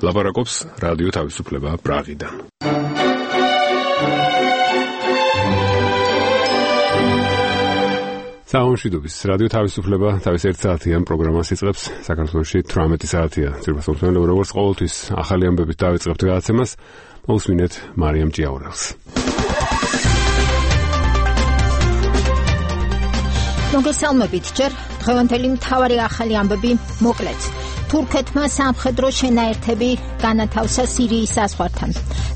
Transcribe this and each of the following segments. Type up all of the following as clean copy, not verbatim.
ლაპარაკობს რადიო თავისუფლება პრაღიდან. საუნშიდობის რადიო თავისუფლება თავის 1 საათიან პროგრამას იწყებს. საქართველოში 18 საათია. ძირფასობრივად როგორც ყოველთვის ახალი ამბებით დავიწყებთ გადაცემას. მოусმინეთ მარიამ ჭიაურელს. მოგესალმებით ჯერ დღევანდელი მთავარი ახალი ამბები მოკლედ. თურქეთმა სამხედრო შენაერთები განათავსა სირიის საზღვართან.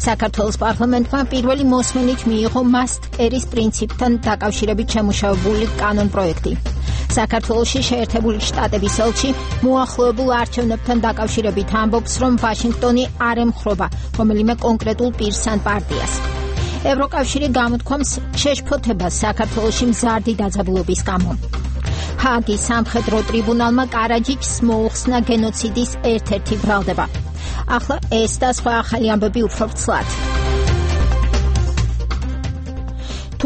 საქართველოს პარლამენტმა პირველი მოსმენით მიიღო მასტკერის პრინციპთან დაკავშირებით შემუშავებული კანონპროექტი. საქართველოში შეერთებული შტატების ელჩი მოახლოებულ არჩევნებთან დაკავშირებით ამბობს, რომ ვაშინგტონი არ ემხრობა რომელიმე კონკრეტულ პირს ან პარტიას. ევროკავშირი გამოთქვამს შეშფოთებას საქართველოში მზარდი დაძაბულობის გამო. ჰააგის სამხედრო ტრიბუნალმა კარაჯიჩს მოუხსნა გენოციდის ერთ-ერთი ბრალდება. ახლა ეს და სხვა ახალი ამბები უფრო ვრცლად.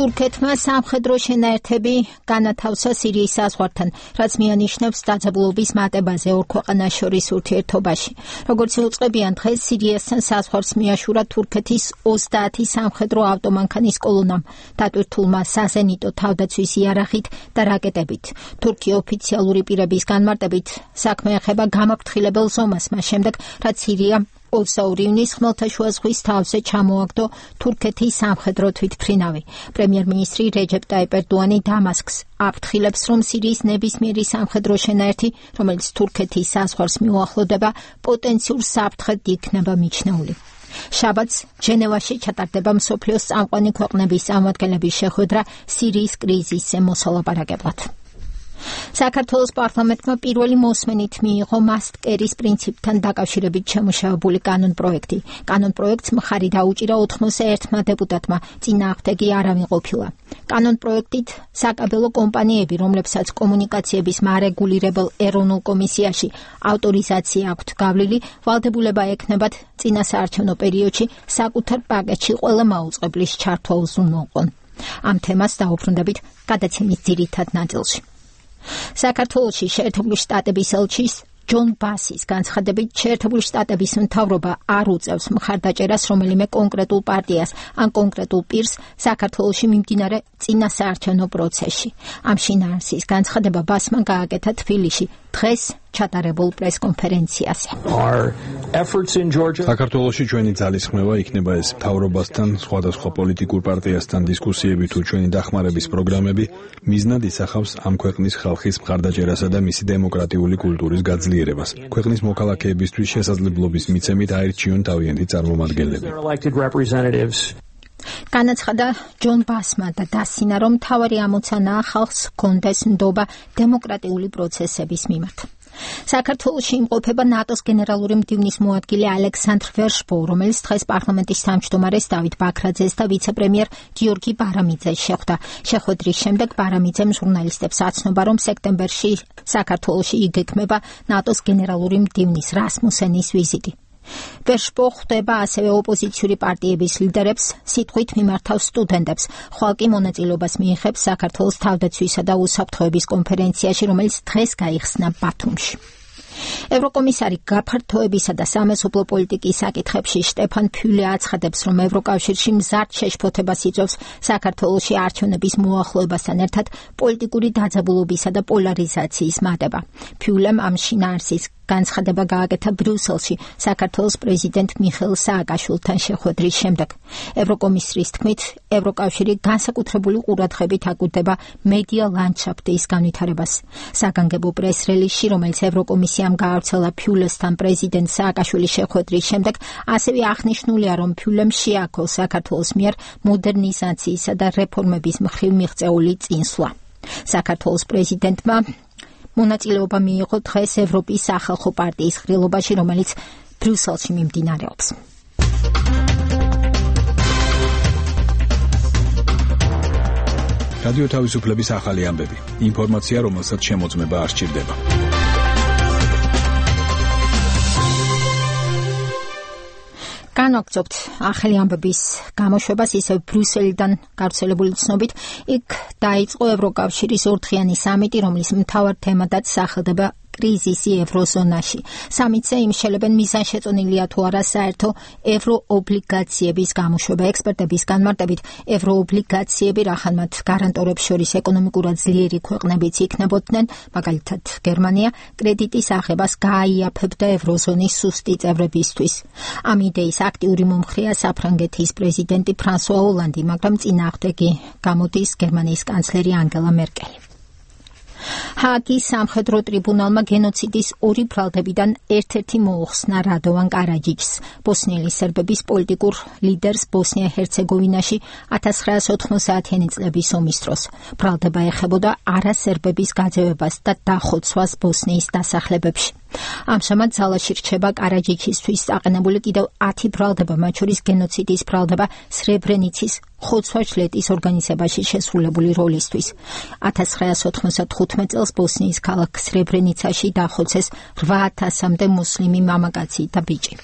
თურქეთმა სამხედრო შენაერთები განათავსა სირიის საზღვართან, რაც მიანიშნებს დაძაბულობის მატებაზე ორ ქვეყანას შორის ურთიერთობაში. როგორც იუწყებიან დღეს სირიასთან საზღვარს მიაშურა თურქეთის 30 სამხედრო ავტომანქანის კოლონამ, დატვირთულმა საზენიტო თავდაცვის იარაღით და რაკეტებით. თურქი ოფიციალური პირების განმარტებით საქმე ეხება გამაფრთხილებელ ზომას, მას შემდეგ, რაც სირია 22 ივნის ხმელთაშუა ზღვის თავზე ჩამოაგდო თურქეთის სამხედრო თვითმფრინავი. პრემიერ-მინისტრი რეჯეპ ტაიპ ერდოანი დამასკს აფრთხილებს, რომ სირიის ნებისმიერი სამხედრო შენაერთი, რომელიც თურქეთის საზღვარს მიუახლოვდება, პოტენციურ საფრთხედ იქნება მიჩნეული. შაბათს ჟენევაში ჩატარდება მსოფლიოს წამყვანი ქვეყნების წარმომადგენლების შეხვედრა სირიის კრიზისზე მოსალაპარაკებლად. საქართველოს პარლამენტმა პირველი მოსმენით მიიღო მასტკერის პრინციპთან დაკავშირებით შემუშავებული კანონპროექტი. კანონპროექტს მხარი დაუჭირა 81 დეპუტატმა, წინააღმდეგი არავინ ყოფილა. კანონპროექტით საკაბელო კომპანიები, რომლებსაც კომუნიკაციების მარეგულირებელ ეროვნულ კომისიაში ავტორიზაცია აქვთ გავლილი, ვალდებულება ექნებათ წინასაარჩევნო პერიოდში საკუთარ პაკეტში ყველა მაუწყებლის ჩართვა უზრუნველყონ. ამ თემას დაუბრუნდებით გადაცემის ძირითად ნაწილში. საქართველოში შეერთებული შტატების ელჩის ჯონ ბასის განცხადებით, შეერთებული შტატების მთავრობა არ უწევს მხარდაჭერას რომელიმე კონკრეტულ პარტიას ან კონკრეტულ პირს საქართველოში მიმდინარე წინასაარჩევნო პროცესში. ამ შინაარსის განცხადება ბასმა გააკეთა თბილისში დღეს ჩატარებულ პრესკონფერენციაზე. საქართველოში ჩვენი ძალისხმევა იქნება ეს მთავრობასთან, სხვადასხვა პოლიტიკურ პარტიასთან დისკუსიები თუ ჩვენი დახმარების პროგრამები მიზნად ისახავს ამ ქვეყნის ხალხის მხარდაჭერასა და მისი დემოკრატიული კულტურის გაძლიერებას. ქვეყნის მოქალაქეებისთვის შესაძლებლობის მიცემით აირჩიონ თავიანთი წარმომადგენლები. განაცხადა ჯონ ბასმა და დასცინა, რომ მთავარი ამოცანაა ხალხს ჰქონდეს ნდობა დემოკრატიული პროცესების მიმართ. საქართველოში იმყოფება ნატოს გენერალური მდივნის მოადგილე ალექსანდრ ვერშბო, რომელიც დღეს პარლამენტის თავმჯდომარეს დავით ბაქრაძეს და ვიცე-პრემიერ გიორგი ბარამიძეს შეხვდა. შეხვედრის შემდეგ ბარამიძემ ჟურნალისტებს აცნობა, რომ სექტემბერში საქართველოში იგეგმება ნატოს გენერალური მდივნის რასმუსენის ვიზიტი. ვერშბო ხვდება ასევე ოპოზიციური პარტიების ლიდერებს, სიტყვით მიმართავს სტუდენტებს. ხვალ კი მონაწილეობას მიიღებს საქართველოს თავდაცვისა და უსაფრთხოების კონფერენციაში, რომელიც დღეს გაიხსნა ბათუმში. ევროკომისარი გაფართოებისა და სამეზობლო პოლიტიკის საკითხებში შტეფან ფიულე აცხადებს, რომ ევროკავშირში მზარდ შეშფოთებას იწვევს საქართველოში არჩევნების მოახლოებასთან ერთად პოლიტიკური დაძაბულობისა და პოლარიზაციის მატება. ფიულემ ამ შინაარსის განცხადება გააკეთა ბრიუსელში საქართველოს პრეზიდენტ მიხეილ სააკაშვილთან შეხვედრის შემდეგ. ევროკომისრის თქმით, ევროკავშირი განსაკუთრებული ყურადღებით აკვირდება მედია ლანდშაფტის განვითარებას. საგანგებო პრეს-რელიზში, რომელიც ევროკომისიამ გაავრცელა ფიულესთან პრეზიდენტ სააკაშვილის შეხვედრის შემდეგ, ასევე აღნიშნულია, რომ ფიულემ შეაქო საქართველოს მიერ მოდერნიზაციისა და რეფორმების მხრივ მიღწეული წინსვლა. საქართველოს პრეზიდენტმა მონაწილეობა მიიღო დღეს ევროპის სახალხო პარტიის ღრილობაში, რომელიც ბრიუსელში მიმდინარეობს. რადიო თავისუფლების ახალი ამბები. ინფორმაცია, რომელსაც შემოწმება არ სჭირდება. განვაგრძობთ ახალი ამბების გამოშვებას ისევ ბრიუსელიდან გავრცელებული ცნობით. იქ დაიწყო ევროკავშირის ორდღიანი სამიტი, რომლის მთავარ თემადაც სახელდება კრიზისი ევროზონაში. სამიტზე იმშელებენ მიზანშეწონილია თუ არა საერთო ევროობლიგაციების გამოშვება. ექსპერტების განმარტებით, ევროობლიგაციები რახანმათ გარანტორებს შორის ეკონომიკურად ძლიერი ქვეყნებიც იქნებოდნენ, მაგალითად გერმანია, კრედიტის აღებას გააიაფებდა ევროზონის სუსტი წევრებისთვის. ამ იდეის აქტიური მომხრეა საფრანგეთის პრეზიდენტი ფრანსუა ოლანდი, მაგრამ წინააღმდეგი გამოდის გერმანიის კანცლერი ანგელა მერკელი. ჰააგის სამხედრო ტრიბუნალმა გენოციდის ორი ბრალდებიდან ერთ-ერთი მოუხსნა რადოვან კარაჯიჩს, ბოსნიელი სერბების პოლიტიკურ ლიდერს ბოსნია-ჰერცეგოვინაში 1990-იანი წლების ომის დროს. ბრალდება ეხებოდა არასერბების გაძევებას და დახოცვას ბოსნიის დასახლებებში. ამჟამად ძალაში რჩება კარაჯიჩისთვის აყენებული კიდევ 10 ბრალდება, მათ შორის გენოციდის ბრალდება სრებრენიცის ხოცვა-ჟლეტის ორგანიზებაში შესრულებული როლისთვის. 1995 წელს ბოსნიის ქალაქ სრებრენიცაში დახოცეს 8000-მდე მუსლიმი მამაკაცი და ბიჭი.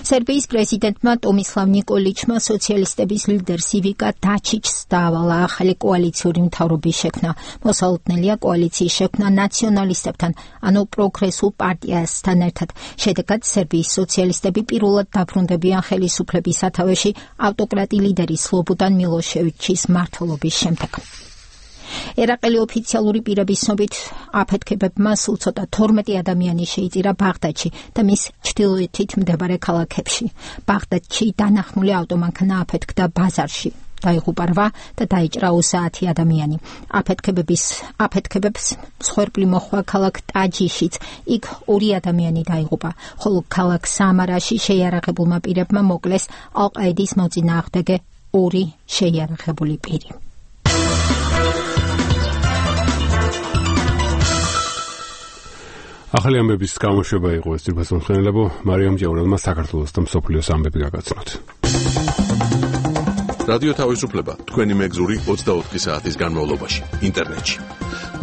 სერბიის პრეზიდენტმა ტომისლავ ნიკოლიჩმა სოციალისტების ლიდერს ივიკა დაჩიჩს დაავალა ახალი კოალიციური მთავრობის შექმნა. მოსალოდნელია კოალიციის შექმნა ნაციონალისტებთან, ანუ პროგრესულ პარტიასთან ერთად. შედეგად სერბიის სოციალისტები პირველად დაბრუნდებიან ხელისუფლების სათავეში ავტოკრატი ლიდერი სლობოდან მილოშევიჩის მმართველობის შემდეგ. ერაყელი ოფიციალური პირების ცნობით აფეთქებებმა სულ ცოტა 12 ადამიანი შეიწირა ბაღდადში და მის ჩრდილოეთით მდებარე ქალაქებში. ბაღდადში დანახმული ავტომანქანა აფეთქდა ბაზარში. დაიღუპა 8 და დაიჭრა 30 ადამიანი. აფეთქებებს მსხვერპლი მოჰყვა ქალაქ ტაჯიშიც. იქ 2 ადამიანი დაიღუპა, ხოლო ქალაქ სამარაში შეიარაღებულმა პირებმა მოკლეს ალ-ყაიდის მოწინააღმდეგე 2 შეიარაღებული პირი. ახალი ამბების გამოშვება იყო ეს თვითმხილველებო მარიამ ჭეურელმა საქართველოს და მსოფლიოს ამბები გაგაცნოთ. რადიო თავისუფლება თქვენი მეგზური 24 საათის განმავლობაში ინტერნეტში.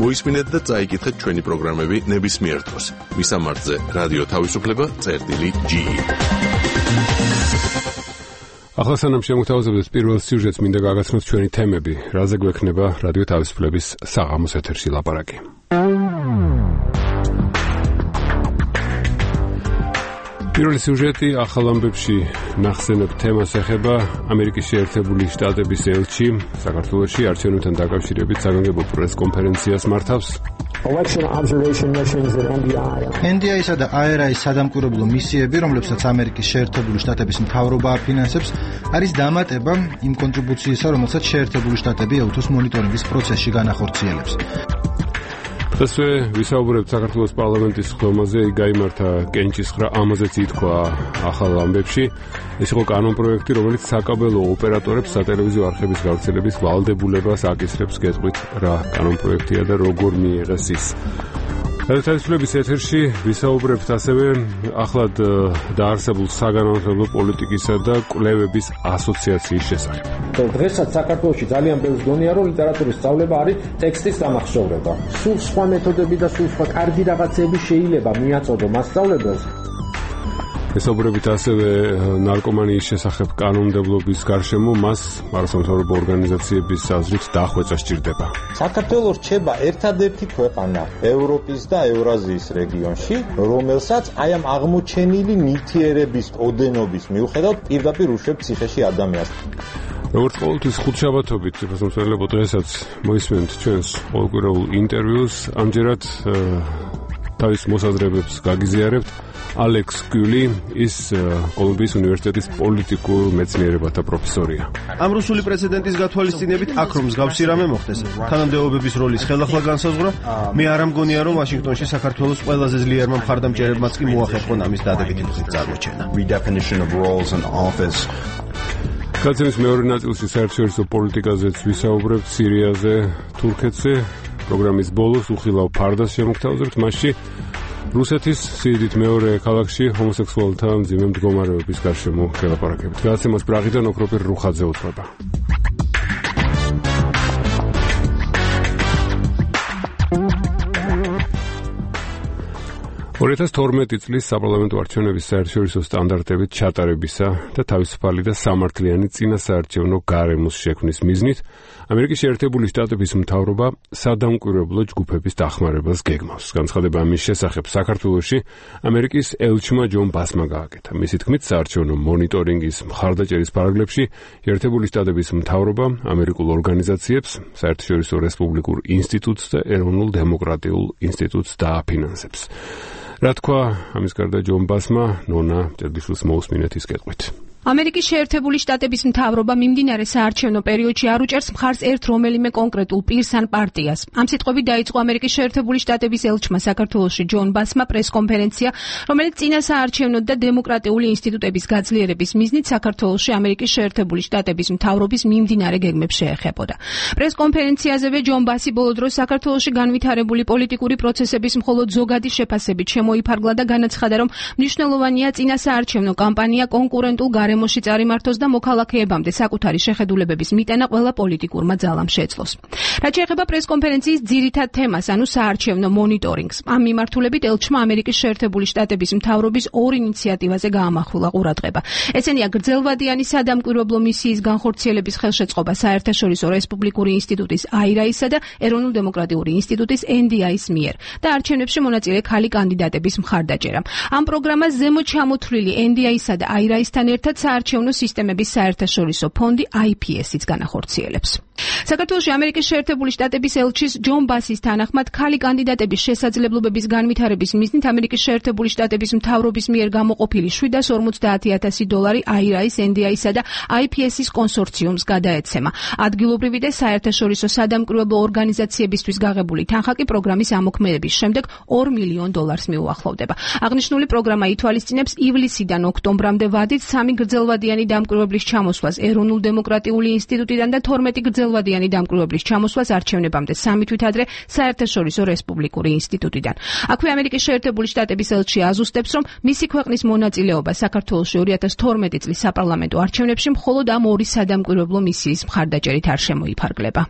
მოისმინეთ და წაიკითხეთ ჩვენი პროგრამები ნებისმიერ დროს. მისამართზე რადიო თავისუფლება.ge. ახლა სანამ შემოგთავაზებთ პირველ სიუჟეტს, მინდა გაგაცნოთ ჩვენი თემები, რაზე გვექნება რადიო თავისუფლების საღამოს ეთერში ლაპარაკი. პირველი სიუჟეტი ახალ ამბებში ნახსენებ თემას ეხება ამერიკის შეერთებული შტატების ელჩი საქართველოში არჩევნებთან დაკავშირებით საგანგებო პრესკონფერენციას მართავს. Election observation missions at NDI-სა და AERA-ის სადამკვირვებლო მისიები, რომლებსაც ამერიკის შეერთებული შტატების მთავრობა აფინანსებს, არის დამატება იმ კონტრიბუციისა, რომელსაც შეერთებული შტატები ეუთოს მონიტორინგის პროცესში განახორციელებს. დღესვე ვისაუბრებთ საქართველოს პარლამენტის ხდომაზე, იქ გაიმართა კენჭისხრა, ამაზეც ითქვა ახალ ამბებში. ეს იყო კანონპროექტი, რომელიც საკაბელო ოპერატორებს სატელევიზიო არხების გავრცელების ვალდებულებას აკისრებს. გეტყვით რა კანონპროექტია და როგორ მიიღეს ის. თავისუფლების ეთერში ვისაუბრებთ ასევე ახლად დაარსებულ საგანმანათლებლო პოლიტიკისა და კვლევების ასოციაციის შესახებ. დღესაც საქართველოში ძალიან ბევრი გონია, რომ ლიტერატურის სწავლება არის ტექსტის დამახსოვრება. სულ სხვა მეთოდები და სულ სხვა კარგი რაღაცები შეიძლება მიაწოდო მასწავლებელს. ვისაუბრებთ ასევე ნარკომანიის შესახებ კანონმდებლობის გარშემო, მას არასამთავრობო ორგანიზაციების აზრით დახვეწა სჭირდება. საქართველოს რჩება ერთადერთი ქვეყანა ევროპის და ევრაზიის რეგიონში, რომელსაც აი ამ აღმოჩენილი ნივთიერების ოდენობის მიუხედავად პირდაპირ უშვებს ციხეში ადამიანს. როგორც ყოველთვის ხუთშაბათობით ფასმოსელებო დღესაც მოისმენთ ჩვენს ყოველკვირეულ ინტერვიუს. ამჯერად თავის მოსაზრებებს გაგიზიარებთ ალექს გული, ის კოლუმბიის უნივერსიტეტის პოლიტიკურ მეცნიერებათა პროფესორია. ამ რუსული პრეცედენტის გათვალისწინებით აქ რომ მსგავსი რამე მოხდეს, თანამდებობების როლის ხელახლა განსაზღვრა, მე არ ამგონია რომ ვაშინგტონში საქართველოს ყველაზე ძლიერმა მხარდამჭერებმაც კი მოახერხონ ამის დადებითი გზით წარმოჩენა. გაცემის მეორე ნაწილში საერთაშორისო პოლიტიკაზეც ვისაუბრებთ, სირიაზე, თურქეთზე. პროგრამის ბოლოს უხილავ ფარდას შემოგთავაზებთ, მასში რუსეთის სიდიდით მეორე ქალაქში ჰომოსექსუალთა მძიმე მდგომარეობის გარშემო ველაპარაკებით. გადაცემას პრაღიდან ოქროპირ რუხაძე უძღვება. 2012 წლის საპარლამენტო არჩევნების საერთაშორისო სტანდარტებით ჩატარებისა და თავისუფალი და სამართლიანი წინასაარჩევნო გარემოს შექმნის მიზნით ამერიკის შეერთებული შტატების მთავრობა სადამკვირვებლო ჯგუფების დახმარებას გეგმავს. განცხადება ამის შესახებ საქართველოში ამერიკის ელჩმა ჯონ ბასმა გააკეთა. მისი თქმით, საარჩევნო მონიტორინგის მხარდაჭერის პარაგლებში შეერთებული შტატების მთავრობა ამერიკულ ორგანიზაციებს, საერთაშორისო რესპუბლიკურ ინსტიტუტს და ეროვნულ დემოკრატიულ ინსტიტუტს დააფინანსებს. რა თქვა ამის გარდა ჯონ ბასმა, ნონა წერგიშვილს მოусმინეთ ის კეთყვით. ამერიკის შეერთებული შტატების მთავრობა მიმდინარე საარჩევნო პერიოდში არ უჭერს მხარს ერთ რომელიმე კონკრეტულ პირს ან პარტიას. ამ სიტყვებით დაიწყო ამერიკის შეერთებული შტატების ელჩმა საქართველოში ჯონ ბასმა პრესკონფერენცია, რომელიც წინა საარჩევნო და დემოკრატიული ინსტიტუტების გაძლიერების მიზნით საქართველოში ამერიკის შეერთებული შტატების მთავრობის მიმდინარე გეგმებს შეეხებოდა. პრესკონფერენციაზევე ჯონ ბასი ბოლო დროს საქართველოში განვითარებული პოლიტიკური პროცესების მხოლოდ ზოგადი შეფასებით შემოიფარგლა და განაცხადა, რომ მნიშვნელოვანია წინა საარჩევნო კამპანია კონკურენტულ გარემოში წარიმართოს და მოქალაქეებამდე საკუთარი შეხედულებების მიტანა ყველა პოლიტიკურმა ძალამ შეძლოს. რაც შეეხება პრესკონფერენციის ძირითად თემას, ანუ საარჩევნო მონიტორინგს, ამ მიმართულებით ელჩმა ამერიკის შეერთებული შტატების მთავრობის ორ ინიციატივაზე გაამახვილა ყურადღება. ესენია გრძელვადიანი სადამკვირვებლო მისიის განხორციელების ხელშეწყობა საერთაშორისო რესპუბლიკური ინსტიტუტის AIRA-ისა და ეროვნულ დემოკრატიული ინსტიტუტის NDI-ის მიერ და არჩევნებში მონაწილე ქალი კანდიდატების მხარდაჭერა. ამ პროგრამას ზემოთ ჩამოთვლილი NDI-ისა და AIRA-ისთან ერთად საარჩევნო სისტემების საერთაშორისო ფონდი IPS-იც განახორციელებს. საქართველოში ამერიკის შეერთებული შტატების ელჩის ჯონ ბასის თანახმად ქალი კანდიდატების შესაძლებლობების განვითარების მიზნით ამერიკის შეერთებული შტატების მთავრობის მიერ გამოყოფილი $750,000 AIRA-ის, NDI-ისა და IPS-ის კონსორციუმს გადაეცემა. ადგილობრივი და საერთაშორისო სადამკვირვებლო ორგანიზაციებისთვის გაღებული თანხა კი პროგრამის ამოქმედების შემდეგ $2 მილიონ მიუახლოვდება. აღნიშნული პროგრამა ითვალისწინებს ივლისიდან ოქტომბრამდე ვადით 3 გრძელვადიანი დამკვირვებლის ჩამოსვლას ეროვნულ დემოკრატიული ინსტიტუტიდან და 12 გრძელვადიანი დამკვირვებლის ჩამოსვლას არჩევნებამდე 3 თვით ადრე საერთაშორისო რესპუბლიკური ინსტიტუტიდან. აქვე ამერიკის შეერთებული შტატების ელჩი აზუსტებს, რომ მისი ქვეყნის მონაწილეობა საქართველოში 2012 წლის საპარლამენტო არჩევნებში მხოლოდ ამ ორი სადამკვირვებლო მისიის მხარდაჭერით არ შემოიფარგლება.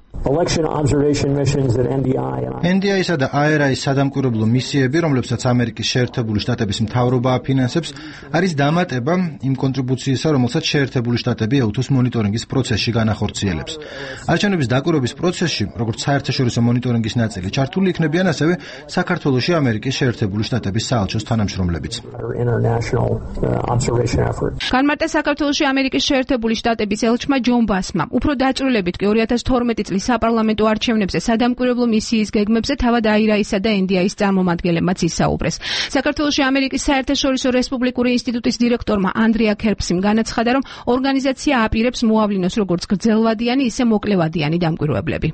NDI-ისა და AIRA-ის სადამკვირვებლო მისიები, რომლებსაც ამერიკის შეერთებული შტატების მთავრობა აფინანსებს, არის დამატება იმ კონტრიბუციისა, რომელსაც შეერთებული შტატები EUTUS მონიტორინგის პროცესში განახორციელებს. არჩევნების დაკვირვების პროცესში, როგორც საერთაშორისო მონიტორინგის ნაწილი, ჩართული იქნებიან ასევე საქართველოში ამერიკის შეერთებული შტატების საელჩოს თანამშრომლებიც. განმარტა საქართველოში ამერიკის შეერთებული შტატების ელჩმა ჯონ ბასმა. უფრო დაჭრილებით კი 2012 წლის საპარლამენტო არჩევნებზე სადამკვირვებლო მისიის გეგმებზე თავად AIRA-ისა და NDI-ის წარმომადგენლებმაც ისაუბრეს. საქართველოში ამერიკის საერთაშორისო რესპუბლიკური ინსტიტუტის დირექტორმა ანდრია ქერპსიმ განაცხადა, რომ ორგანიზაცია აპირებს მოავლინოს როგორც გრძელვადიანი, ისე მოკლევადიანი დამკვირვებლები.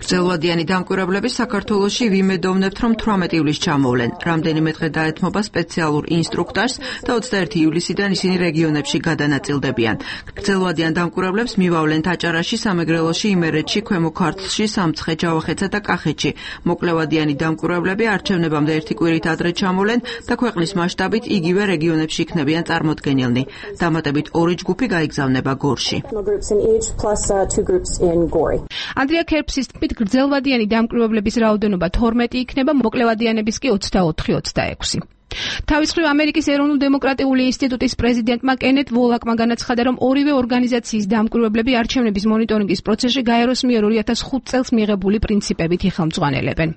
გრძელვადიანი დამკვირვებლები საქართველოში ვიმედოვნებთ, რომ 18 ივლისს ჩამოვლენ. რამდენიმე დღე დაეთმობა სპეციალურ ინსტრუქტაჟს და 21 ივლისიდან ისინი რეგიონებში გადანაწილდებიან. გრძელვადიან დამკვირვებლებს მივავლენ აჭარაში, სამეგრელოში, იმერეთში, ქვემო ქართლში, სამცხე, ჯავახეთსა და კახეთში. მოკლევადიანი დამკვირვებლები არჩევნებამდე ერთი კვირით ადრე ჩამოვლენ და ქვეყნის მასშტაბით იგივე რეგიონებში იქნებიან წარმოდგენილნი. დამატებით ორი ჯგუფი გაიგზავნება გორში. ანდრია ქერპსის თქმით, გრძელვადიანი დამკვირვებლების რაოდენობა 12 იქნება, მოკლევადიანების კი 24-26. თავის მხრივ ამერიკის ეროვნულ დემოკრატიული ინსტიტუტის პრეზიდენტმა კენეთ ვოლაკმა განაცხადა, რომ ორივე ორგანიზაციის დამკვირვებლები არჩევნების მონიტორინგის პროცესში გაეროს მიერ 2005 წელს მიღებული პრინციპებით იხელმძღვანელებენ.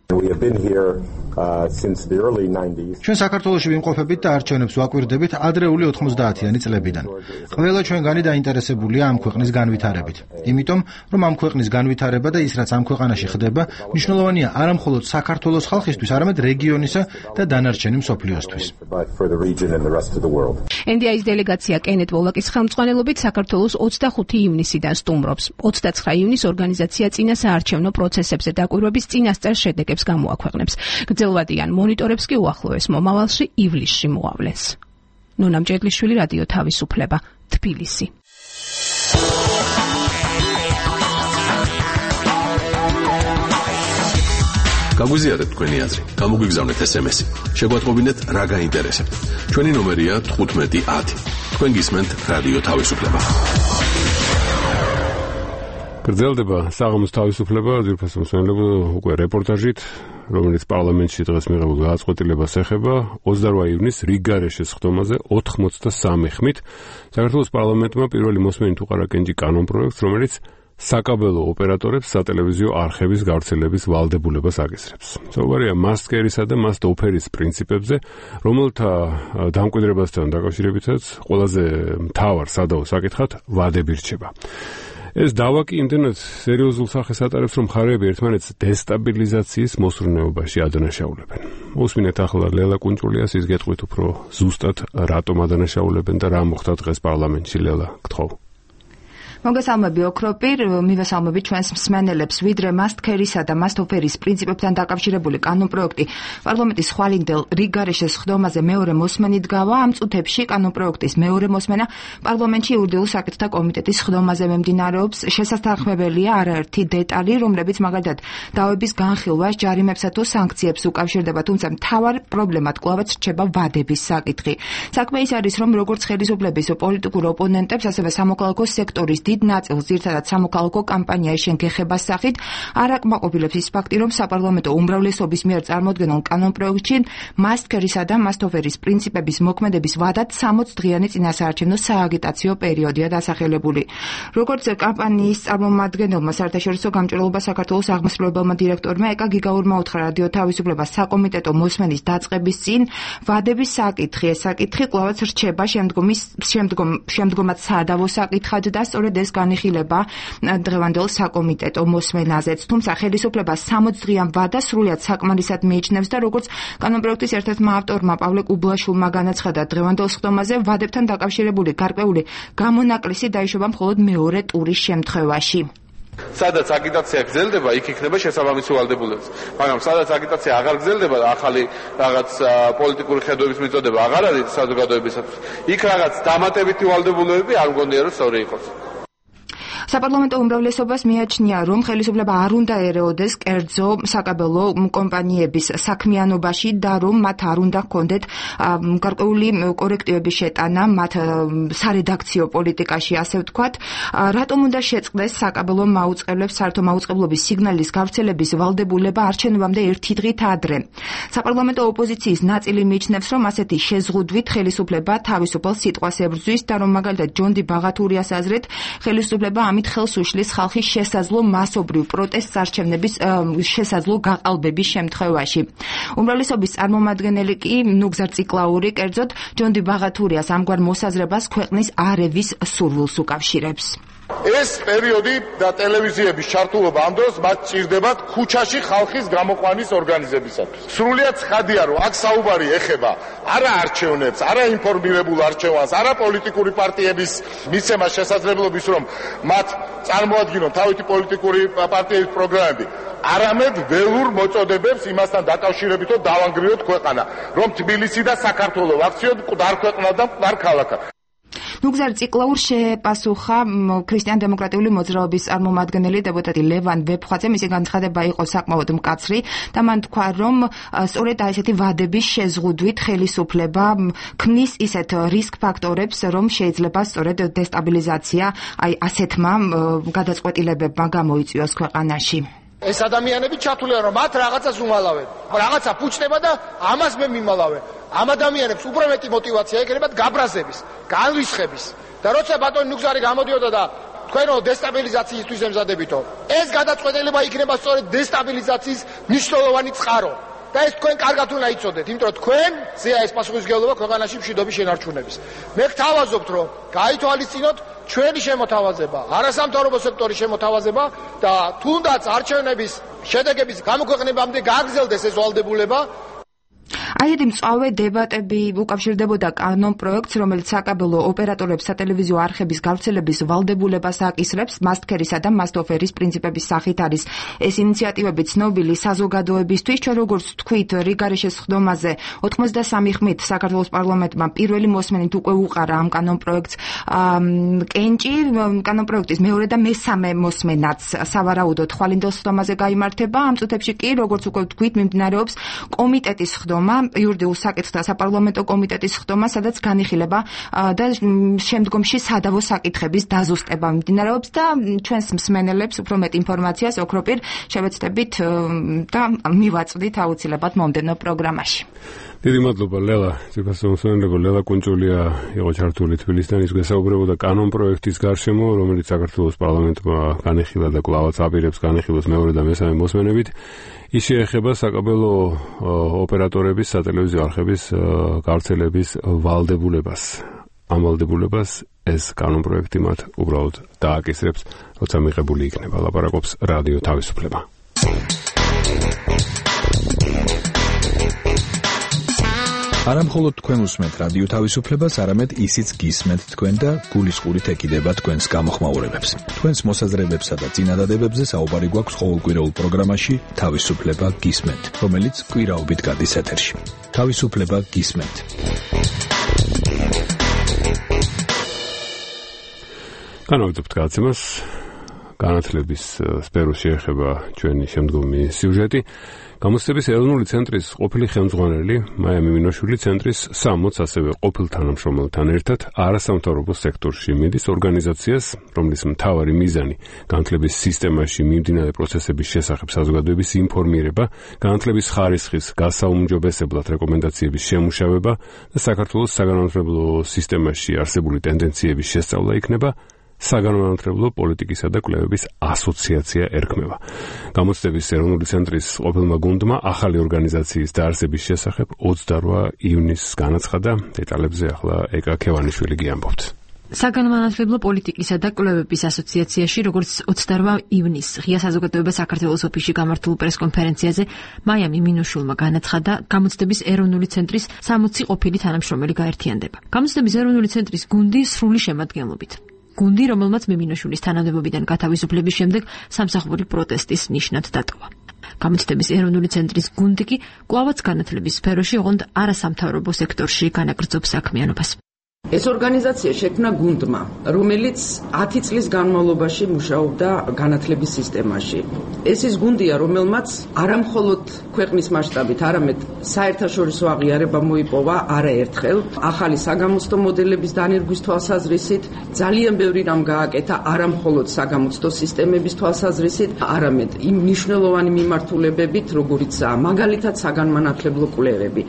ჩვენ საქართველოში ვიმყოფებით და არჩევნებს ვაკვირდებით ადრეული 90-იანი წლებიდან. ყველა ჩვენგანი დაინტერესებულია ამ ქვეყნის განვითარებით. იმიტომ, რომ ამ ქვეყნის განვითარება და ის, რაც ამ ქვეყანაში ხდება, მნიშვნელოვანია არა მხოლოდ საქართველოს ხალხისთვის, არამედ რეგიონისა და დანარჩენი მსოფლიოსთვის. NDI-ის დელეგაცია კენეთ ვოლაკის ხელმძღვანელობით საქართველოს 25 ივნისიდან სტუმრობს. 29 ივნისს ორგანიზაცია წინა საარჩევნო პროცესებზე დაკვირვების წინასწარ შედეგებს გამოაქვეყნებს. გრძელვადიან მონიტორებს კი უახლოეს მომავალში ივლისში მოავლენს. ნონა მჭედლიშვილი, რადიო თავისუფლება, თბილისი. გაგვიზიარეთ თქვენი აზრი, გამოგვიგზავნეთ SMS-ი. შეგვატყობინეთ რა გაინტერესებთ. ჩვენი ნომერია 1510. თქვენ გისმენთ რადიო თავისუფლება. გრძელდება საღამოს თავისუფლება, ძირფას მოსმენელებო უკვე რეპორტაჟით, რომელიც პარლამენტში დღეს მიღებულ გადაწყვეტილებას ეხება 28 ივნისს რიგგარეშეს სხდომაზე 83 ხმით საქართველოს პარლამენტმა პირველი მოსმენით უყარა კენჭი კანონპროექტს, რომელიც საკაბელო ოპერატორებს სატელევიზიო არხების გავრცელების ვალდებულებას აკისრებს. საუბარია მასტკერისა და მასტ-ოფერის პრინციპებზე, რომელთა დამკვიდრებასთან დაკავშირებითაც ყველაზე მთავარ სადავო საკითხად ვადები რჩება. ეს დავა კი იმდენად სერიოზულ სახეს ატარებს, რომ მხარეები ერთმანეთს დესტაბილიზაციის მოსურნეობაში ადანაშაულებენ. უსმინეთ ახლა ლელა კუნჭულიას, ის გეტყვით უფრო ზუსტად რატომ ადანაშაულებენ და რა მოხდა დღეს პარლამენტში. ლელა, გთხოვ. მოგესალმები ოქროპირ, მივესალმები ჩვენს მსმენელებს, ვიდრე მასტქერისა და მასტ-ოფერის პრინციპებთან დაკავშირებული კანონპროექტი პარლამენტის ხვალინდელ რიგგარეშეს სხდომაზე მეორე მოსმენით გავა. ამ წუთებში კანონპროექტის მეორე მოსმენა პარლამენტში იურიდიულ საკითხთა კომიტეტის სხდომაზე მიმდინარეობს. შესაძახმებელია არაერთი დეტალი, რომლებიც მაგალითად დავების განხილვას, ჯარიმებსა თუ სანქციებს უკავშირდება, თუმცა მთავარ პრობლემად კვლავაც რჩება ვადების საკითხი. საქმე ის არის, რომ როგორც ხელისუფლების პოლიტიკურ ოპონენტებს, ასევე სამოქალაქო სექტორის დიდ ნაწილს ძირთადად სამოქალაქო კამპანიის შენგეხებას სახით არ აკმაყოფილებს ის ფაქტი, რომ საპარლამენტო უმრავლესობის მიერ წარმოდგენილ კანონპროექტში მასტქერისა და მასტ-ოფერის პრინციპების მოქმედების ვადად 60 დღიანი წინასაარჩევნო სააგიტაციო პერიოდია დასახელებული. როგორც კამპანიის წარმომადგენელმა საერთაშორისო გამჭვირვალობა საქართველოს აღმასრულებელმა დირექტორმა ეკა გიგაურმა უთხრა რადიო თავისუფლებას საკომიტეტო მოსმენის დაწყების წინ ვადების საკითხი, ეს საკითხი კვლავაც რჩება შემდგომად სადავო საკითხად და სწორედ ეს განიხილება დღევანდელ საკომიტეტო მოსმენაზეც. თუმცა ხელისუფლება 60 დღიან ვადას სრულად საკმარისად მიიჩნევს და როგორც კანონპროექტის ერთ-ერთმა ავტორმა პავლე კუბლაშვილმა განაცხადა, დღევანდელ სხდომაზე ვადებთან დაკავშირებული გარკვეული გამონაკლისი დაიშობა მხოლოდ მეორე ტურის შემთხვევაში. სადაც აგიტაცია გრძელდება, იქ იქნება შესაბამისი ვალდებულება. მაგრამ სადაც აგიტაცია აღარ გრძელდება, ახალი რაღაც პოლიტიკური ხედვების მიწოდება აღარ არის საზოგადოებისათვის, იქ რაღაც დამატებითი ვალდებულებები არ მგონია რომ სწორი იყოს. საპარლამენტო უმრავლესობას მიაჩნია, რომ ხელისუფლება არ უნდა ერეოდეს კერძო საკაბელო კომპანიების საქმიანობაში და რომ მათ არ უნდა ჰქონდეთ გარკვეული კორექტივების შეტანა მათ სარედაქციო პოლიტიკაში, ასე ვთქვათ. რატომ უნდა შეწყდეს საკაბელო მაუწყებლებს საერთო მაუწყებლობის სიგნალის გავრცელების ვალდებულება არჩევნებამდე ერთი დღით ადრე? საპარლამენტო ოპოზიციის ნაწილი მიიჩნევს, რომ ასეთი შეზღუდვით ხელისუფლება თავისუფალ სიტყვას ებრძვის და რომ მაგალითად ჯონდი ბაღათურიას აზრით ხელისუფლება ამით ხელს უშლის ხალხის შესაძლო მასობრივ პროტესტს არჩევნების შესაძლო გაყალბების შემთხვევაში. უმრავლესობის წარმომადგენელი კი ნუგზარ ციკლაური კერძოდ ჯონდი ბაღათურიას ამგვარ მოსაზრებას ქვეყნის არევის სურვილს უკავშირებს. ეს პერიოდი და ტელევიზიების ჩართულობა ამ დროს მათ ჭირდებათ ქუჩაში ხალხის გამოყვანის ორგანიზებისათვის. სრულიად ცხადია, რომ აქ საუბარი ეხება არა არჩევნებს, არა ინფორმირებულ არჩევანს, არა პოლიტიკური პარტიების მიცემას შესაძლებლობის, რომ მათ წარმოადგინონ თავისი პოლიტიკური პარტიების პროგრამები, არამედ ველურ მოწოდებებს იმასთან დაკავშირებით, რომ დავანგრიოთ ქვეყანა, რომ თბილისი და საქართველო ვაქციოთ მკვდარ ქვეყნად და მკვდარ ქალაქად. ნუგზარ ციკლაურ შეპასუხა ქრისტიან-დემოკრატიული მოძრაობის წარმომადგენელი დეპუტატი ლევან ვეფხვაძე. მისი განცხადება იყო საკმაოდ მკაცრი და მან თქვა, რომ სწორედ ესეთი ვადების შეზღუდვით ხელისუფლება ქმნის ისეთ რისკ ფაქტორებს, რომ შეიძლება სწორედ დესტაბილიზაცია ასეთმა გადაწყვეტილებებმა გამოიწვიოს ქვეყანაში. ეს ადამიანები ჩათვლიან, რომ მათ რაღაცას უმალავენ, რაღაცა ფუჭდება და ამას მე მიმალავენ. ამ ადამიანებს უფრო მეტი мотиваცია ეკრებათ გაბრაზების, განრისხების. და როცა ბატონი ნუგზარი გამოდიოდა და თქვენო დესტაბილიზაციისთვის ემზადებითო, ეს გადაწყვეტილება იქნება სწორედ დესტაბილიზაციის მნიშვნელოვანი წყარო. და ეს თქვენ კარგად უნდა იცოდეთ, იმიტომ რომ თქვენ ზეა ეს პასუხისმგებლობა ქვეყანაში მშვიდობის შენარჩუნების. მე გთავაზობთ, რომ გაითვალისწინოთ ჩვენი შემოთავაზება, არასამთავრობო სექტორის შემოთავაზება და თუნდაც არჩევნების შედეგების გამოქვეყნებამდე გაგრძელდეს ეს ვალდებულება. აიეთი მწვავე დებატები უკავშირდებოდა კანონპროექტს, რომელიც საკაბელო ოპერატორებს სატელევიზიო არხების გავრცელების ვალდებულებას აკისრებს. მასტქერისა და მასტ-ოფერის პრინციპების სახით არის ეს ინიციატივები ცნობილი საზოგადოებისთვის. ჩვენ როგორც თქვით, რიგგარეშეს სხდომაზე 83 ხმით საქართველოს პარლამენტმა პირველი მოსმენით უკვე უყარა ამ კანონპროექტს კენჭი. კანონპროექტის მეორე და მესამე მოსმენაც სავარაუდოდ ხვალინდელ სხდომაზე გაიმართება. ამ წუთებში კი, როგორც უკვე თქვით, მიმდინარეობს კომიტეტის სხდომა ხდომა, იურიდიულ საკითხთა საპარლამენტო კომიტეტის ხდომა, სადაც განიხილება და შემდგომში სადავო საკითხების დაზუსტება მიმდინარეობს და ჩვენს მსმენელებს უფრო მეტ ინფორმაციას ოქროპირ შევეცდებით და მივაწვდით აუცილებლად მომდევნო პროგრამაში. დიდი მადლობა ლელა, ციფროსმენელებო ლელა კუნჭულია იყო ჩართული თბილისიდან, ის გასაუბრებოდა კანონ პროექტის გარშემო, რომელიც საქართველოს პარლამენტმა განიხილა და კვლავაც აპირებს განიხილოს მეორე და მესამე მოსმენებით. ის შეეხება საკაბელო ოპერატორების, სატელევიზიო არხების გავრცელების ვალდებულებას. ამ ვალდებულებას ეს კანონ პროექტი მათ უბრალოდ დააკისრებს, როცა მიღებული იქნება. ლაპარაკობს რადიო თავისუფლება. არა მხოლოდ თქვენ უსმენთ რადიო თავისუფლებას, არამედ ისიც გისმენთ თქვენ და გულისყურით ეკიდება თქვენს გამოხმაურებებს. თქვენს მოსაზრებებსა და წინადადებებზე საუბარი გვაქვს ყოველკვირეულ პროგრამაში თავისუფლება გისმენთ, რომელიც კვირაობით გადის ეთერში. თავისუფლება გისმენთ. განვაგრძობთ გადაცემას. განათლების სფეროს შეეხება ჩვენი შემდგომი სიუჟეტი. გამოცდების ეროვნული ცენტრის ყოფილი ხელმძღვანელი მაია მიმინოშვილი ცენტრის 60 ასევე ყოფილ თანამშრომელთან ერთად არასამთავრობო სექტორში მიდის ორგანიზაციას, რომლის მთავარი მიზანი განათლების სისტემაში მიმდინარე პროცესების შესახებ საზოგადოების ინფორმირება, განათლების ხარისხის გასაუმჯობესებლად რეკომენდაციების შემუშავება და საქართველოს საგანმანათლებლო სისტემაში არსებული ტენდენციების შესწავლა იქნება. საგანმანათლებლო პოლიტიკისა და კვლევების ასოციაცია ერქმევა. გამოცდების ეროვნული ცენტრის ყოფილმა გუნდმა ახალი ორგანიზაციის დაარსების შესახებ 28 ივნისს განაცხადა. დეტალებზე ახლა ეკა ქევანიშვილი გიამბობთ. საგანმანათლებლო პოლიტიკისა და კვლევების ასოციაციაში, როგორც 28 ივნისს ღია საზოგადოება საქართველოს ოფისში გამართულ პრესკონფერენციაზე მაია მიმინოშვილმა განაცხადა, გამოცდების ეროვნული ცენტრის 60 ყოფილი თანამშრომელი გაერთიანდება. გამოცდების ეროვნული ცენტრის გუნდი სრული შემადგენლობით. გუნდი, რომელმაც მიმინოშვილის თანამდებობიდან გათავისუფლების შემდეგ სამსახური პროტესტის ნიშნად დატოვა. გამოცდების ეროვნული ცენტრის გუნდი კი კვლავაც განათლების სფეროში, ოღონდ არასამთავრობო სექტორში განაგრძობს საქმიანობას. ეს ორგანიზაცია შექმნა გუნდმა, რომელიც 10 წლის განმავლობაში მუშაობდა განათლების სისტემაში. ეს ის გუნდია, რომელმაც არამხოლოდ ქვეყნის მასშტაბით, არამედ საერთაშორისო აღიარება მოიპოვა არაერთხელ, ახალი საგამოცდო მოდელების დანერგვის თვალსაზრისით, ძალიან ბევრი რამ გააკეთა არამხოლოდ საგამოცდო სისტემების თვალსაზრისით, არამედ იმ მნიშვნელოვანი მიმართულებებით, როგორიცაა მაგალითად საგანმანათლებლო კვლევები.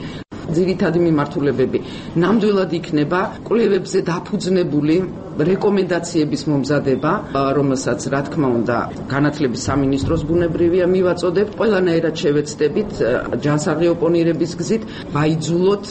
ძირითადი მიმართულებები ნამდვილად იქნება კვლევებზე დაფუძნებული რეკომენდაციების მომზადება, რომელსაც რა თქმა უნდა განათლების სამინისტროს ბუნებრივია მივაწოდებთ, ყველანაირად შევეცდებით ჯანსაღი ოპონირების გზით ვაიძულოთ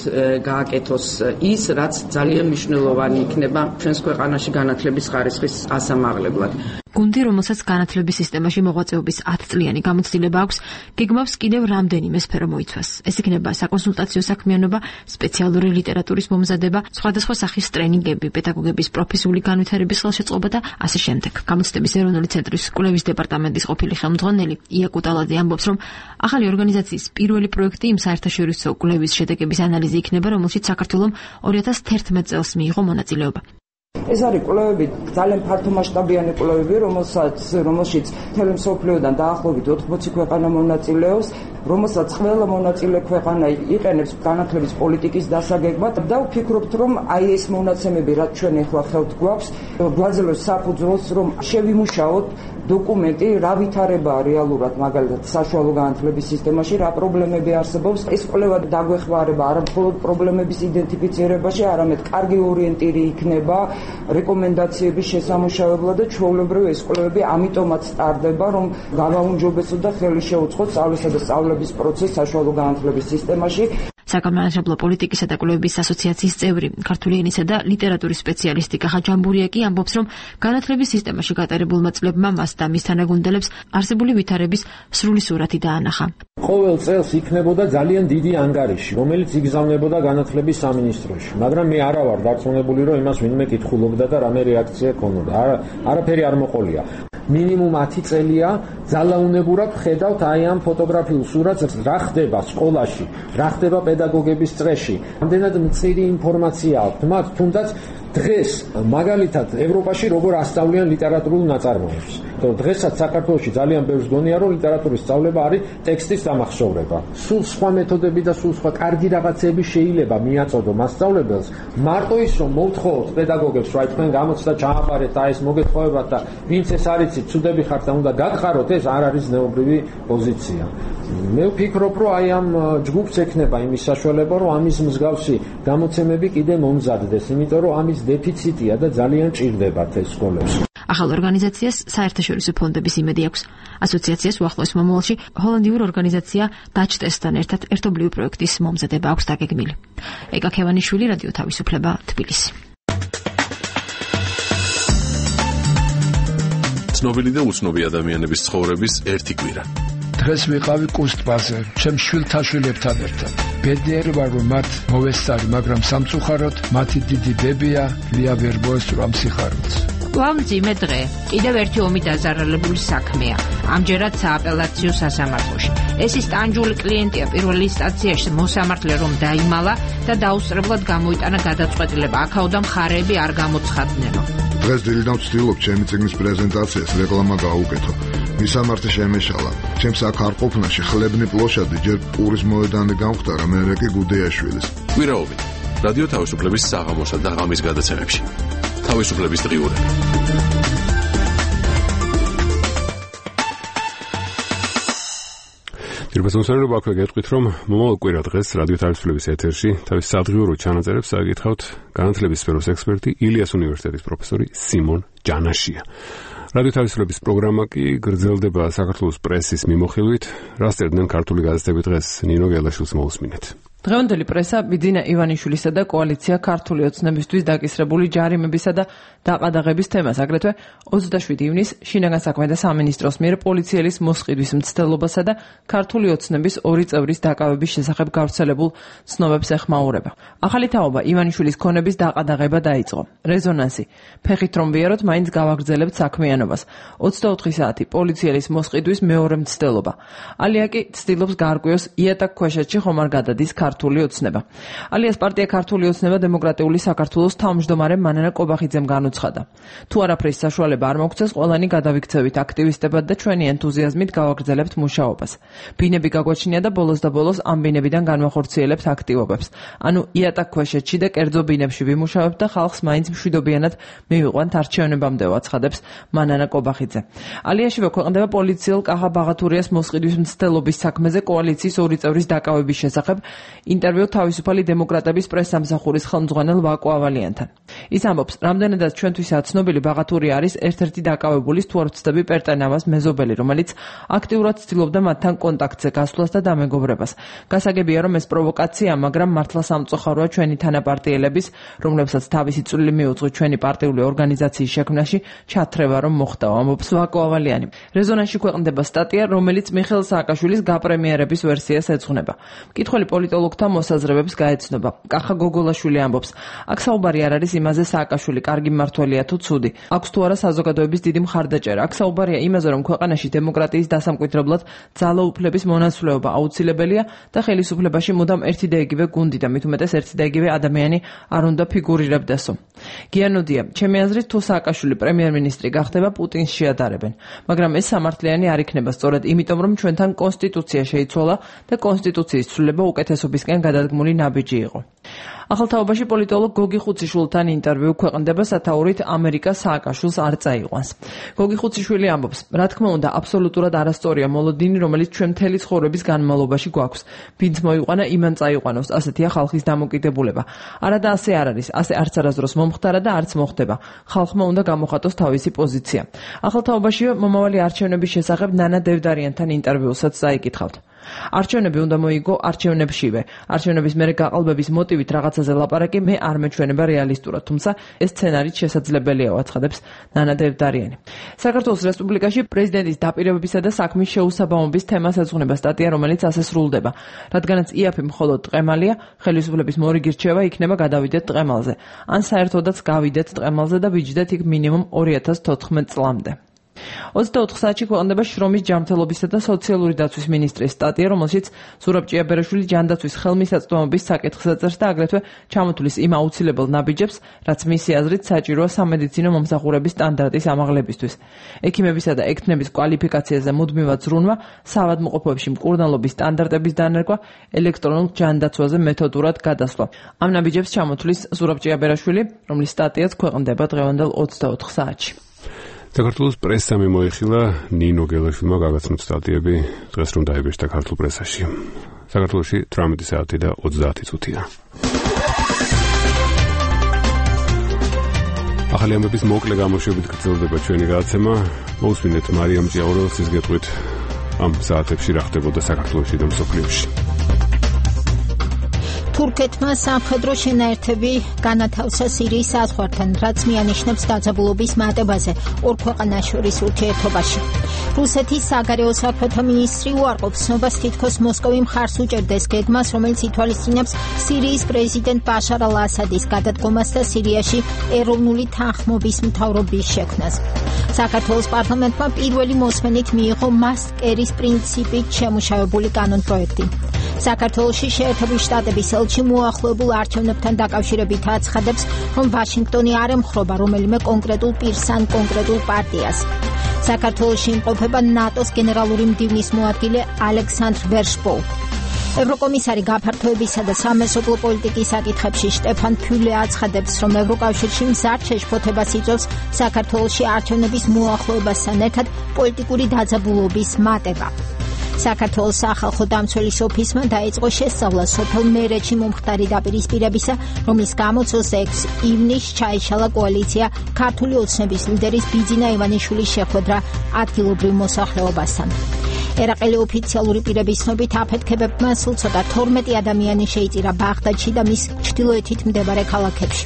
გააკეთოს ის, რაც ძალიან მნიშვნელოვანი იქნება ჩვენს ქვეყანაში განათლების ხარისხის ასამაღლებლად. გუნდი, რომელსაც განათლების სისტემაში მოღვაწეობის 10 წლიანი გამოცდილება აქვს, გეგმავს კიდევ რამდენიმე სფერო მოიცვას. ეს იქნება საკონსულტაციო საქმიანობა, სპეციალური ლიტერატურის მომზადება, სხვადასხვა სახის ტრენინგები, პედაგოგების პროფესიული განვითარების ხელშეწყობა და ასე შემდეგ. გამოცდების ეროვნული ცენტრის კვლევის დეპარტამენტის ყოფილი ხელმძღვანელი ია კუტალაძე ამბობს, რომ ახალი ორგანიზაციის პირველი პროექტი იმ საერთაშორისო კვლევის შედეგების ანალიზი იქნება, რომელშიც საქართველომ 2011 წელს მიიღო მონაწილეობა. ეს არის კვლევები, ძალიან ფართომასშტაბიანი კვლევები, რომელშიც მთელი მსოფლიოდან დაახლოებით 80 ქვეყანა მონაწილეობს, რომელსაც ყველა მონაწილე ქვეყანა იყენებს განათლების პოლიტიკის დასაგეგმად და ვფიქრობთ, რომ აი ეს მონაცემები, რაც ჩვენ ახლა ხელთ გვაქვს, გვაძლევს საფუძველს, რომ შევიმუშაოთ დოკუმენტი, რა ვითარებაა რეალურად მაგალითად საშუალო განათლების სისტემაში, რა პრობლემები არსებობს. ეს კვლევა დაგვეხმარება არა მხოლოდ პრობლემების იდენტიფიცირებაში, არამედ კარგი ორიენტირი იქნება რეკომენდაციების შესამუშავებლად და ჩვეულებრივ ეს კვლევები ამიტომაც სტარდება, რომ გავაუმჯობესოთ და ხელი შეუწყოთ სწავლისა და სწავლების პროცესს საშუალო განათლების სისტემაში. საგანმანათლებლო პოლიტიკისა და კვლევების ასოციაციის წევრი, ქართული ენისა და ლიტერატურის სპეციალისტი კახა ჯამბურია კი ამბობს, რომ განათლების სისტემაში გატარებულმა წლებმა მას და მის თანაგუნდელებს არსებული ვითარების სრული სურათი დაანახა. ყოველ წელს იქნებოდა ძალიან დიდი ანგარიში, რომელიც იგზავნებოდა განათლების სამინისტროში, მაგრამ მე არა ვარ დარწმუნებული, რომ იმას ვინმე კითხულობდა და რამე რეაქცია ქონოდა. არაფერი არ მოყოლია. მინიმუმ 10 წელია ძალაუნებურად ხედავთ აი ამ ფოტოგრაფიულ სურათს, რა ხდება სკოლაში, რა ხდება პედაგოგების წრეში. რამდენად მწირი ინფორმაცია აქვს მათ, თუნდაც დღეს მაგალითად ევროპაში როგორ ასწავლიან ლიტერატურულ ნაწარმოებს. დღესაც საქართველოში ძალიან ბევრს გონია, რომ ლიტერატურის სწავლება არის ტექსტის დამახსოვრება. სულ სხვა მეთოდები და სულ სხვა კარგი რაღაცები შეიძლება მიაწოდო მასწავლებელს, მარტო ის რომ მოვთხოვოთ პედაგოგებს, რომ თქვენ გამოცდა ჩააბარეთ და ეს მოგეთხოვებათ და ვინც ეს არიცით, ცუდები ხართ და უნდა გაგხაროთ, ეს არ არის ზნეობრივი პოზიცია. მე ვფიქრობ, რომ აი ამ ჯგუფს ექნება იმის საშუალება, რომ ამის მსგავსი გამოცემები კიდე მომზადდეს, იმიტომ რომ ამის დეფიციტია და ძალიან ჭირდებათ ეს სკოლებს. ახალ ორგანიზაციას საერთაშორისო ფონდების იმედი აქვს. ასოციაციას უახლოეს მომავალში ჰოლანდიურ ორგანიზაცია დაჩტესთან ერთად ერთობლივი პროექტის მომზადება აქვს დაგეგმილი. ეკა ქევანიშვილი, რადიო თავისუფლება, თბილისი. ცნობილი და უცნობი ადამიანების ცხოვრების ერთი კვირა. დღეს ვიყავი კუსტბაზე, ჩემ შვილთა შვილებთან ერთად. ბედნიერი ვარ, რომ მათ მოვესწარი, მაგრამ სამწუხაროდ მათი დიდი ბებია ლია ვერ მოესწრო ამ სიხარულს. ვამძიმე დღე, კიდევ ერთი ომი დაზარალებული საქმეა. ამჯერად სააპელაციო სასამართლოში. ეს ის ტანჯული კლიენტია პირველი ინსტანციაში მოსამართლე რომ დაიმალა და დაუსწრებლად გამოიტანა გადაწყვეტილება. აქაოდან მხარეები არ გამოცხადნენო. დღეს დილიდან ვცდილობ ჩემი წიგნის პრეზენტაციას რეკლამა გაუკეთო. მისამართი შემეშალა. ჩემს აქ არ ყოფნაში ხლებნი პლოშადი ჯერ პურის მოედანი გამختარა, მერე კი გუდეაშვილის. კვირაობი. რადიო თავისუფლების საღამოსა და ღამის გადაცემებში. თავისუფლების დღიურები. დირბასონსალობა აქვე გეტყვით, რომ მომავალ კვირა დღეს რადიო თავისუფლების ეთერში თავის სადღიურო ჩანაწერებს აგითხავთ განათლების სფეროს ექსპერტი ილიას უნივერსიტეტის პროფესორი სიმონ ჯანაშია. რადიო თავისუფლების პროგრამა კი გრძელდება საქართველოს პრესის მიმოხილვით. რას წერდნენ ქართული გაზეთები დღეს? ნინო გელაშვილს მოусმინეთ. დღევანდელი პრესა ბიძინა ივანიშვილისა და კოალიცია ქართული ოცნებისთვის დაკისრებული ჯარიმებისა და დაყადაღების თემას, აგრეთვე 27 ივნის შინაგან საქმეთა სამინისტროს მიერ პოლიციელის მოსყიდვის მცდელობასა და ქართული ოცნების 2 წევრის დაკავების შესახებ გავრცელებულ ცნობებს ეხმაურება. ახალი თაობა ივანიშვილის ქონების დაყადაღება დაიწყო. რეზონანსი. ფეხით რომ ვიაროთ, მაინც გავაგრძელებთ საქმიანობას. 24 საათი პოლიციელის მოსყიდვის მეორე მცდელობა. ალია კი ცდილობს გაარკვიოს იატაკქვეშეთში ხომ არ გადადის ქართული ოცნება. ალიას პარტია ქართული ოცნება დემოკრატიული საქართველოს თავმჯდომარე მანანა კობახიძემ განუცხადა. თუ არაფრის საშუალება არ მოგცეს, ყველანი გადავიქცევით აქტივისტებად და ჩვენი ენთუზიაზმით გავაგრძელებთ მუშაობას. ბინები გაგვაჩნია და ბოლოს და ბოლოს ამ ბინებიდან განვახორციელებთ აქტივობებს. ანუ იატაკქვეშეთში და კერძო ბინებში ვიმუშავებთ და ხალხს მაინც მშვიდობიანად მივიყვანთ არჩევნებამდე, აცხადებს მანანა კობახიძე. ალიაშივე ქვეყნდება პოლიციელ კახა ბაღათურიას მოსყიდვის მცდელობის საქმეზე კოალიციის 2 წევრის დაკავების შესახებ ინტერვიუ თავისუფალი დემოკრატების პრესსამსახურის ხელმძღვანელ ვაკო ავალიანთან. ის ამბობს, რამდენადაც ჩვენთვისაა ცნობილი, ბაღათურია არის ერთ-ერთი დაკავებული თუ არ ვცდები პერტენავას მეზობელი, რომელიც აქტიურად ცდილობდა მათთან კონტაქტზე გასვლას და დამეგობრებას. გასაგებია, რომ ეს პროვოკაცია, მაგრამ მართლა სამწუხაროა ჩვენი თანაპარტიელების, რომლებსაც თავისი წვლილი მიუძღვის ჩვენი პარტიული ორგანიზაციის შექმნაში, ჩათრევა რომ მოხდა, ამბობს ვაკო ავალიანი. რეზონანსში ქვეყნდება სტატია, რომელიც მიხეილ სააკაშვილის გაპრემიერების ვერსიას ეძღვნება. მკითხველი პოლიტოლოგთა მოსაზრებებს გაეცნობა. კახა გოგოლაშვილი ამბობს, აქ საუბარი არ არის იმაზე სააკაშვილი კარგი მმართველია თუ ცუდი. აქვს თუ არა საზოგადოების დიდი მხარდაჭერა. აქ საუბარია იმაზე, რომ ქვეყანაში დემოკრატიის დასამკვიდრებლად ძალაუფლების მონაცვლეობა აუცილებელია და ხელისუფლებაში მუდამ ერთი და იგივე გუნდი და მით უმეტეს ერთი და იგივე ადამიანი არ უნდა ფიგურირებდესო. გიანოდია, ჩემი აზრით, თუ სააკაშვილი პრემიერ-მინისტრი გახდება, პუტინს შეადარებენ. მაგრამ ეს სამართლიანი არ იქნება სწორედ იმიტომ, რომ ჩვენთან კონსტიტუცია შეიცვალა და კონსტიტუციის ცვლილება უკეთესობისკენ გადადგმული ნაბიჯი იყო. ახალთაობაში პოლიტოლოგ გოგი ხუციშვილთან ინტერვიუ ქვეყნდება სათაურით ამერიკა სააკაშვილს არ წაიყვანს. გოგი ხუციშვილი ამბობს, რა თქმა უნდა, აბსოლუტურად არასწორია მოლოდინი, რომელიც ჩვენ მთელი ცხოვრების განმავლობაში გვაქვს. ვინც მოიყვანა, იმან წაიყვანოს, ასეთია ხალხის დამოკიდებულება. არადა ასე არ არის, ასე არც არასდროს მომხდარა და არც მოხდება. ხალხმა უნდა გამოხატოს თავისი პოზიცია. ახალთაობაში მომავალი არჩევნების შესახებ ნანა დევდარიანთან ინტერვიუსაც წაიკითხავთ. არჩევნები უნდა მოიგო არჩევნებშივე. არჩევნების მერე გაყალბების მოტივით რაღაცაზე ლაპარაკი მე არ მეჩვენება რეალისტურად, თუმცა ეს სცენარიც შესაძლებელია, აცხადებს ნანა დევდარიანი. საქართველოს რესპუბლიკაში პრეზიდენტის დაპირებებისა და საქმის შეუსაბამობის თემას ეძღვნება სტატია, რომელიც ასე სრულდება. რადგანაც იაფი მხოლოდ ტყემალია, ხელისუფლების მორიგი რჩევა იქნება გადავიდეთ ტყემალზე. ან საერთოდაც გავიდეთ ტყემალზე და ვიჯდეთ იქ მინიმუმ 2014 წლამდე. 24 საათში ქვეყნდება შრომის ჯანმრთელობისა და სოციალური დაცვის მინისტრის სტატია, რომელშიც ზურაბ ჭიაბერაშვილი ჯანდაცვის ხელმისაწვდომობის საკითხს აწერს და აგრეთვე ჩამოთვლის იმ აუცილებელ ნაბიჯებს, რაც მისი აზრით საჭიროა სამედიცინო მომსახურების სტანდარტის ამაღლებისთვის. ექიმებისა და ექთნების კვალიფიკაციაზე მუდმივად ზრუნვა, საავადმყოფოებში მკურნალობის სტანდარტების დანერგვა, ელექტრონულ ჯანდაცვაზე მეთოდურად გადასვლა. ამ ნაბიჯებს ჩამოთვლის ზურაბ ჭიაბერაშვილი, რომლის სტატიაც ქვეყნდება დღევანდელ 24 საათში. საქართველოს პრესამ მოიხილა ნინო გელაშვილმა გაგაცნოთ სტატიები დღეს რომ დაიბეჭდა ქართულ პრესაში. საქართველოში 18 საათი და 30 წუთია. ახალი ამბების მოკლე გამოშვებით გრძელდება ჩვენი გადაცემა. მოусმინეთ მარიამ ჭიაურელსის გეტყვით ამ საათებში რა ხდებოდა საქართველოში და მსოფლიოში. თურქეთმა სამხედრო შენაერთები განათავსა სირიის საზღვართან, რაც მიანიშნებს დაძაბულობის მატებაზე ორ ქვეყანას შორის ურთიერთობაში. რუსეთის საგარეო საქმეთა მინისტრი უარყოფს ცნობას, თითქოს მოსკოვი მხარს უჭერდეს გეგმას, რომელიც ითვალისწინებს სირიის პრეზიდენტ ბაშარ ალ-ასადის გადადგომას და სირიაში ეროვნული თანხმობის მთავრობის შექმნას. საქართველოს პარლამენტმა პირველი მოსმენით მიიღო მასკერის პრინციპით შემუშავებული კანონპროექტი. საქართველოში შეერთებული შტატების ელჩი მოახლოებულ არჩევნებთან დაკავშირებით აცხადებს, რომ ვაშინგტონი არ ემხრობა რომელიმე კონკრეტულ პირს ან კონკრეტულ პარტიას. საქართველოში იმყოფება ნატოს გენერალური მდივნის მოადგილე ალექსანდრ ვერშბო. ევროკომისარი გაფართოებისა და სამეზობლო პოლიტიკის საკითხებში შტეფან ფიულე აცხადებს, რომ ევროკავშირში მზარდ შეშფოთებას იწვევს საქართველოში არჩევნების მოახლოებასთან ერთად პოლიტიკური დაძაბულობის მატება. საქართველოს სახალხო დამცველის ოფისმა დაიწყო შესწავლა სოფელ მერეთში მომხდარი დაპირისპირებისა, რომლის გამოც 26 ივნისს ჩაიშალა კოალიცია ქართული ოცნების ლიდერის ბიძინა ივანიშვილის შეხვედრა ადგილობრივ მოსახლეობასთან. ერაყელი ოფიციალური პირების ცნობით აფეთქებებმა სულ ცოტა 12 ადამიანი შეიწირა ბაღდადში და მის ჩრდილოეთით მდებარე ქალაქებში.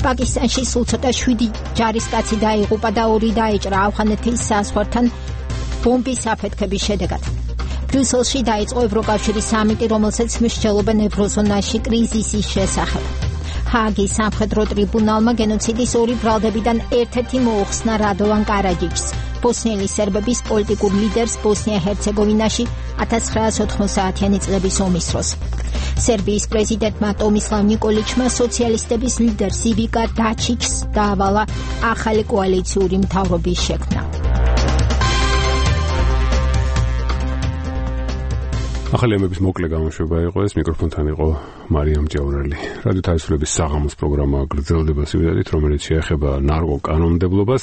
პაკისტანში სულ ცოტა 7 ჯარისკაცი დაიღუპა და 2 დაეჭრა ავღანეთის საზღვართან ბომბის აფეთქების შედეგად. ბრიუსელში დაიწყო ევროკავშირის სამიტი, რომელსაც მსჯელობენ ევროზონაში კრიზისის შესახებ. ჰააგის სამხედრო ტრიბუნალმა გენოციდის 2 ბრალდებიდან ერთ-ერთი მოუხსნა რადოვან კარაჯიჩს, ბოსნიელი სერბების პოლიტიკურ ლიდერს ბოსნია-ჰერცეგოვინაში 1990-იანი წლების ომის დროს. სერბიის პრეზიდენტმა ტომისლავ ნიკოლიჩმა სოციალისტების ლიდერს ივიკა დაჩიჩს დაავალა ახალი კოალიციური მთავრობის შექმნა. ახალი ამბების მოკლე გამოშვება იყო ეს, მიკროფონთან იყო მარიამ ჭიაურელი. რადიო თავისუფლების საღამოს პროგრამა გრძელდება სიუჟეტით, რომელიც შეეხება ნარკოკანონმდებლობას.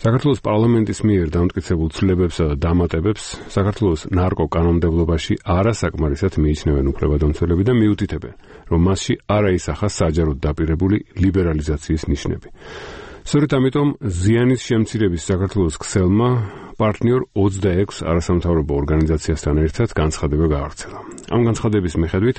საქართველოს პარლამენტის მიერ დამტკიცებულ ცვლილებებსა და დამატებებს საქართველოს ნარკოკანონმდებლობაში არასაკმარისად მიიჩნევენ უფლებადამცველები და მიუთითებენ, რომ მასში არ აისახა საჯაროდ დაპირებული ლიბერალიზაციის ნიშნები. სწორედ ამიტომ ზიანის შემცირების საქართველოს ქსელმა პარტნიორ 26 არასამთავრობო ორგანიზაციასთან ერთად განცხადება გაავრცელა. ამ განცხადების მიხედვით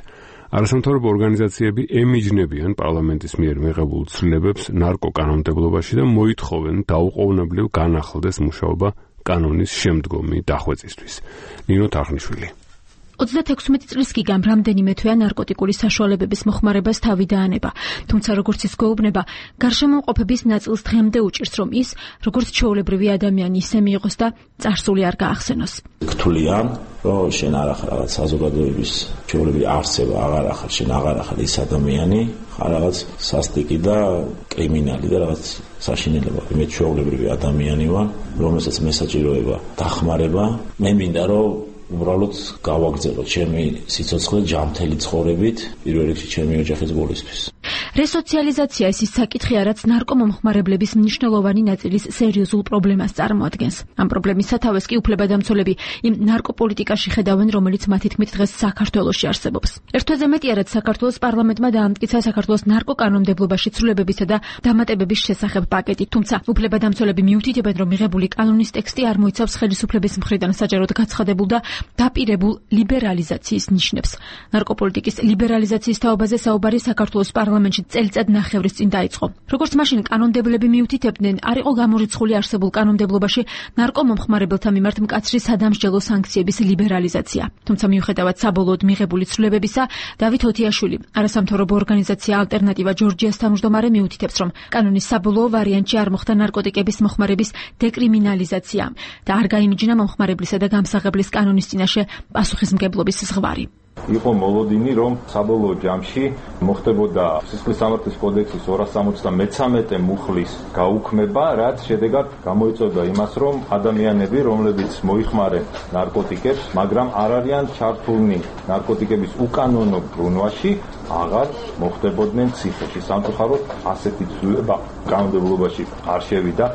არასამთავრობო ორგანიზაციები ემიჯნებიან პარლამენტის მიერ მიღებულ ცვლილებებს ნარკოკანონმდებლობაში და მოითხოვენ დაუყოვნებლივ განახლდეს მუშაობა კანონის შემდგომი დახვეწისთვის. ნინო თარხნიშვილი. 36 წლის გიგამ რამდენიმე თვეა ნარკოტიკული საშუალებების მოხმარებას თავი დაანება. თუმცა როგორც ის გვეუბნება, გარშემოყოფების ნაწილს დღემდე უჭირს, რომ ის, როგორც ჩვეულებრივი ადამიანი, ისე მიიღოს და წარსული არ გაახსენოს. გთვლიან, რომ შენ არ ახარ რაღაც საზოგადოების ჩვეულებრივი არსება, აღარ ახარ, შენ აღარ ახარ ის ადამიანი, ხარ რაღაც სასტიკი და კრიმინალი და რაღაც საშინელება. მე ჩვეულებრივი ადამიანი ვარ, რომელსაც მე საჭიროება დახმარება. მე მინდა რომ უბრალოდ გავაგრძელოთ ჩემი სიცოცხლე ჯანმრთელი ცხოვრებით, პირველ რიგში ჩემი ოჯახის გულისთვის. რესოციალიზაცია ის საკითხია, რაც ნარკომომხმარებლების მნიშვნელოვანი ნაწილის სერიოზულ პრობლემას წარმოადგენს. ამ პრობლემის სათავეს კი უფლებადამცველები იმ ნარკოპოლიტიკაში ხედავენ, რომელიც მათი თქმით დღეს საქართველოში არსებობს. ერთ თვეზე მეტია, რაც საქართველოს პარლამენტმა დაამტკიცა საქართველოს ნარკოკანონმდებლობაში ცვლილებებისა და დამატებების შესახებ პაკეტი, თუმცა უფლებადამცველები მიუთითებენ, რომ მიღებული კანონის ტექსტი არ მოიცავს ხელისუფლების მხრიდან საჯაროდ გაცხადებულ და დაპირებულ ლიბერალიზაციის ნიშნებს. ნარკოპოლიტიკის ლიბერალიზაციის თაობაზე საუბარი საქართველოს პარლამენტში წელიწად ნახევრის წინ დაიწყო. როგორც მაშინ კანონმდებლები მიუთითებდნენ, არ იყო გამორიცხული არსებულ კანონმდებლობაში ნარკომომხმარებელთა მიმართ მკაცრი სადამსჯელო სანქციების ლიბერალიზაცია. თუმცა მიუხედავად საბოლოოდ მიღებული ცვლილებებისა, დავით ოთიაშვილი, არასამთავრობო ორგანიზაცია ალტერნატივა ჯორჯიას თავმჯდომარე მიუთითებს, რომ კანონის საბოლოო ვარიანტში არ მოხდა ნარკოტიკების მოხმარების დეკრიმინალიზაცია და არ გაიმიჯნა მომხმარებლისა და გამსაღებლის კანონის წინაშე პასუხისმგებლობის ზღვარი. იყო მოლოდინი, რომ საბოლოო ჯამში მოხდებოდა სისხლის სამართლის კოდექსის 273 მუხლის გაუქმება, რაც შედეგად გამოიწვევდა იმას, რომ ადამიანები, რომლებიც მოიხმარენ ნარკოტიკებს, მაგრამ არ არიან ჩართულნი ნარკოტიკების უკანონო ბრუნვაში, აღარ მოხდებოდნენ ციხეში. სამწუხაროდ ასეთი ცვლილება კანონმდებლობაში არ შევიდა.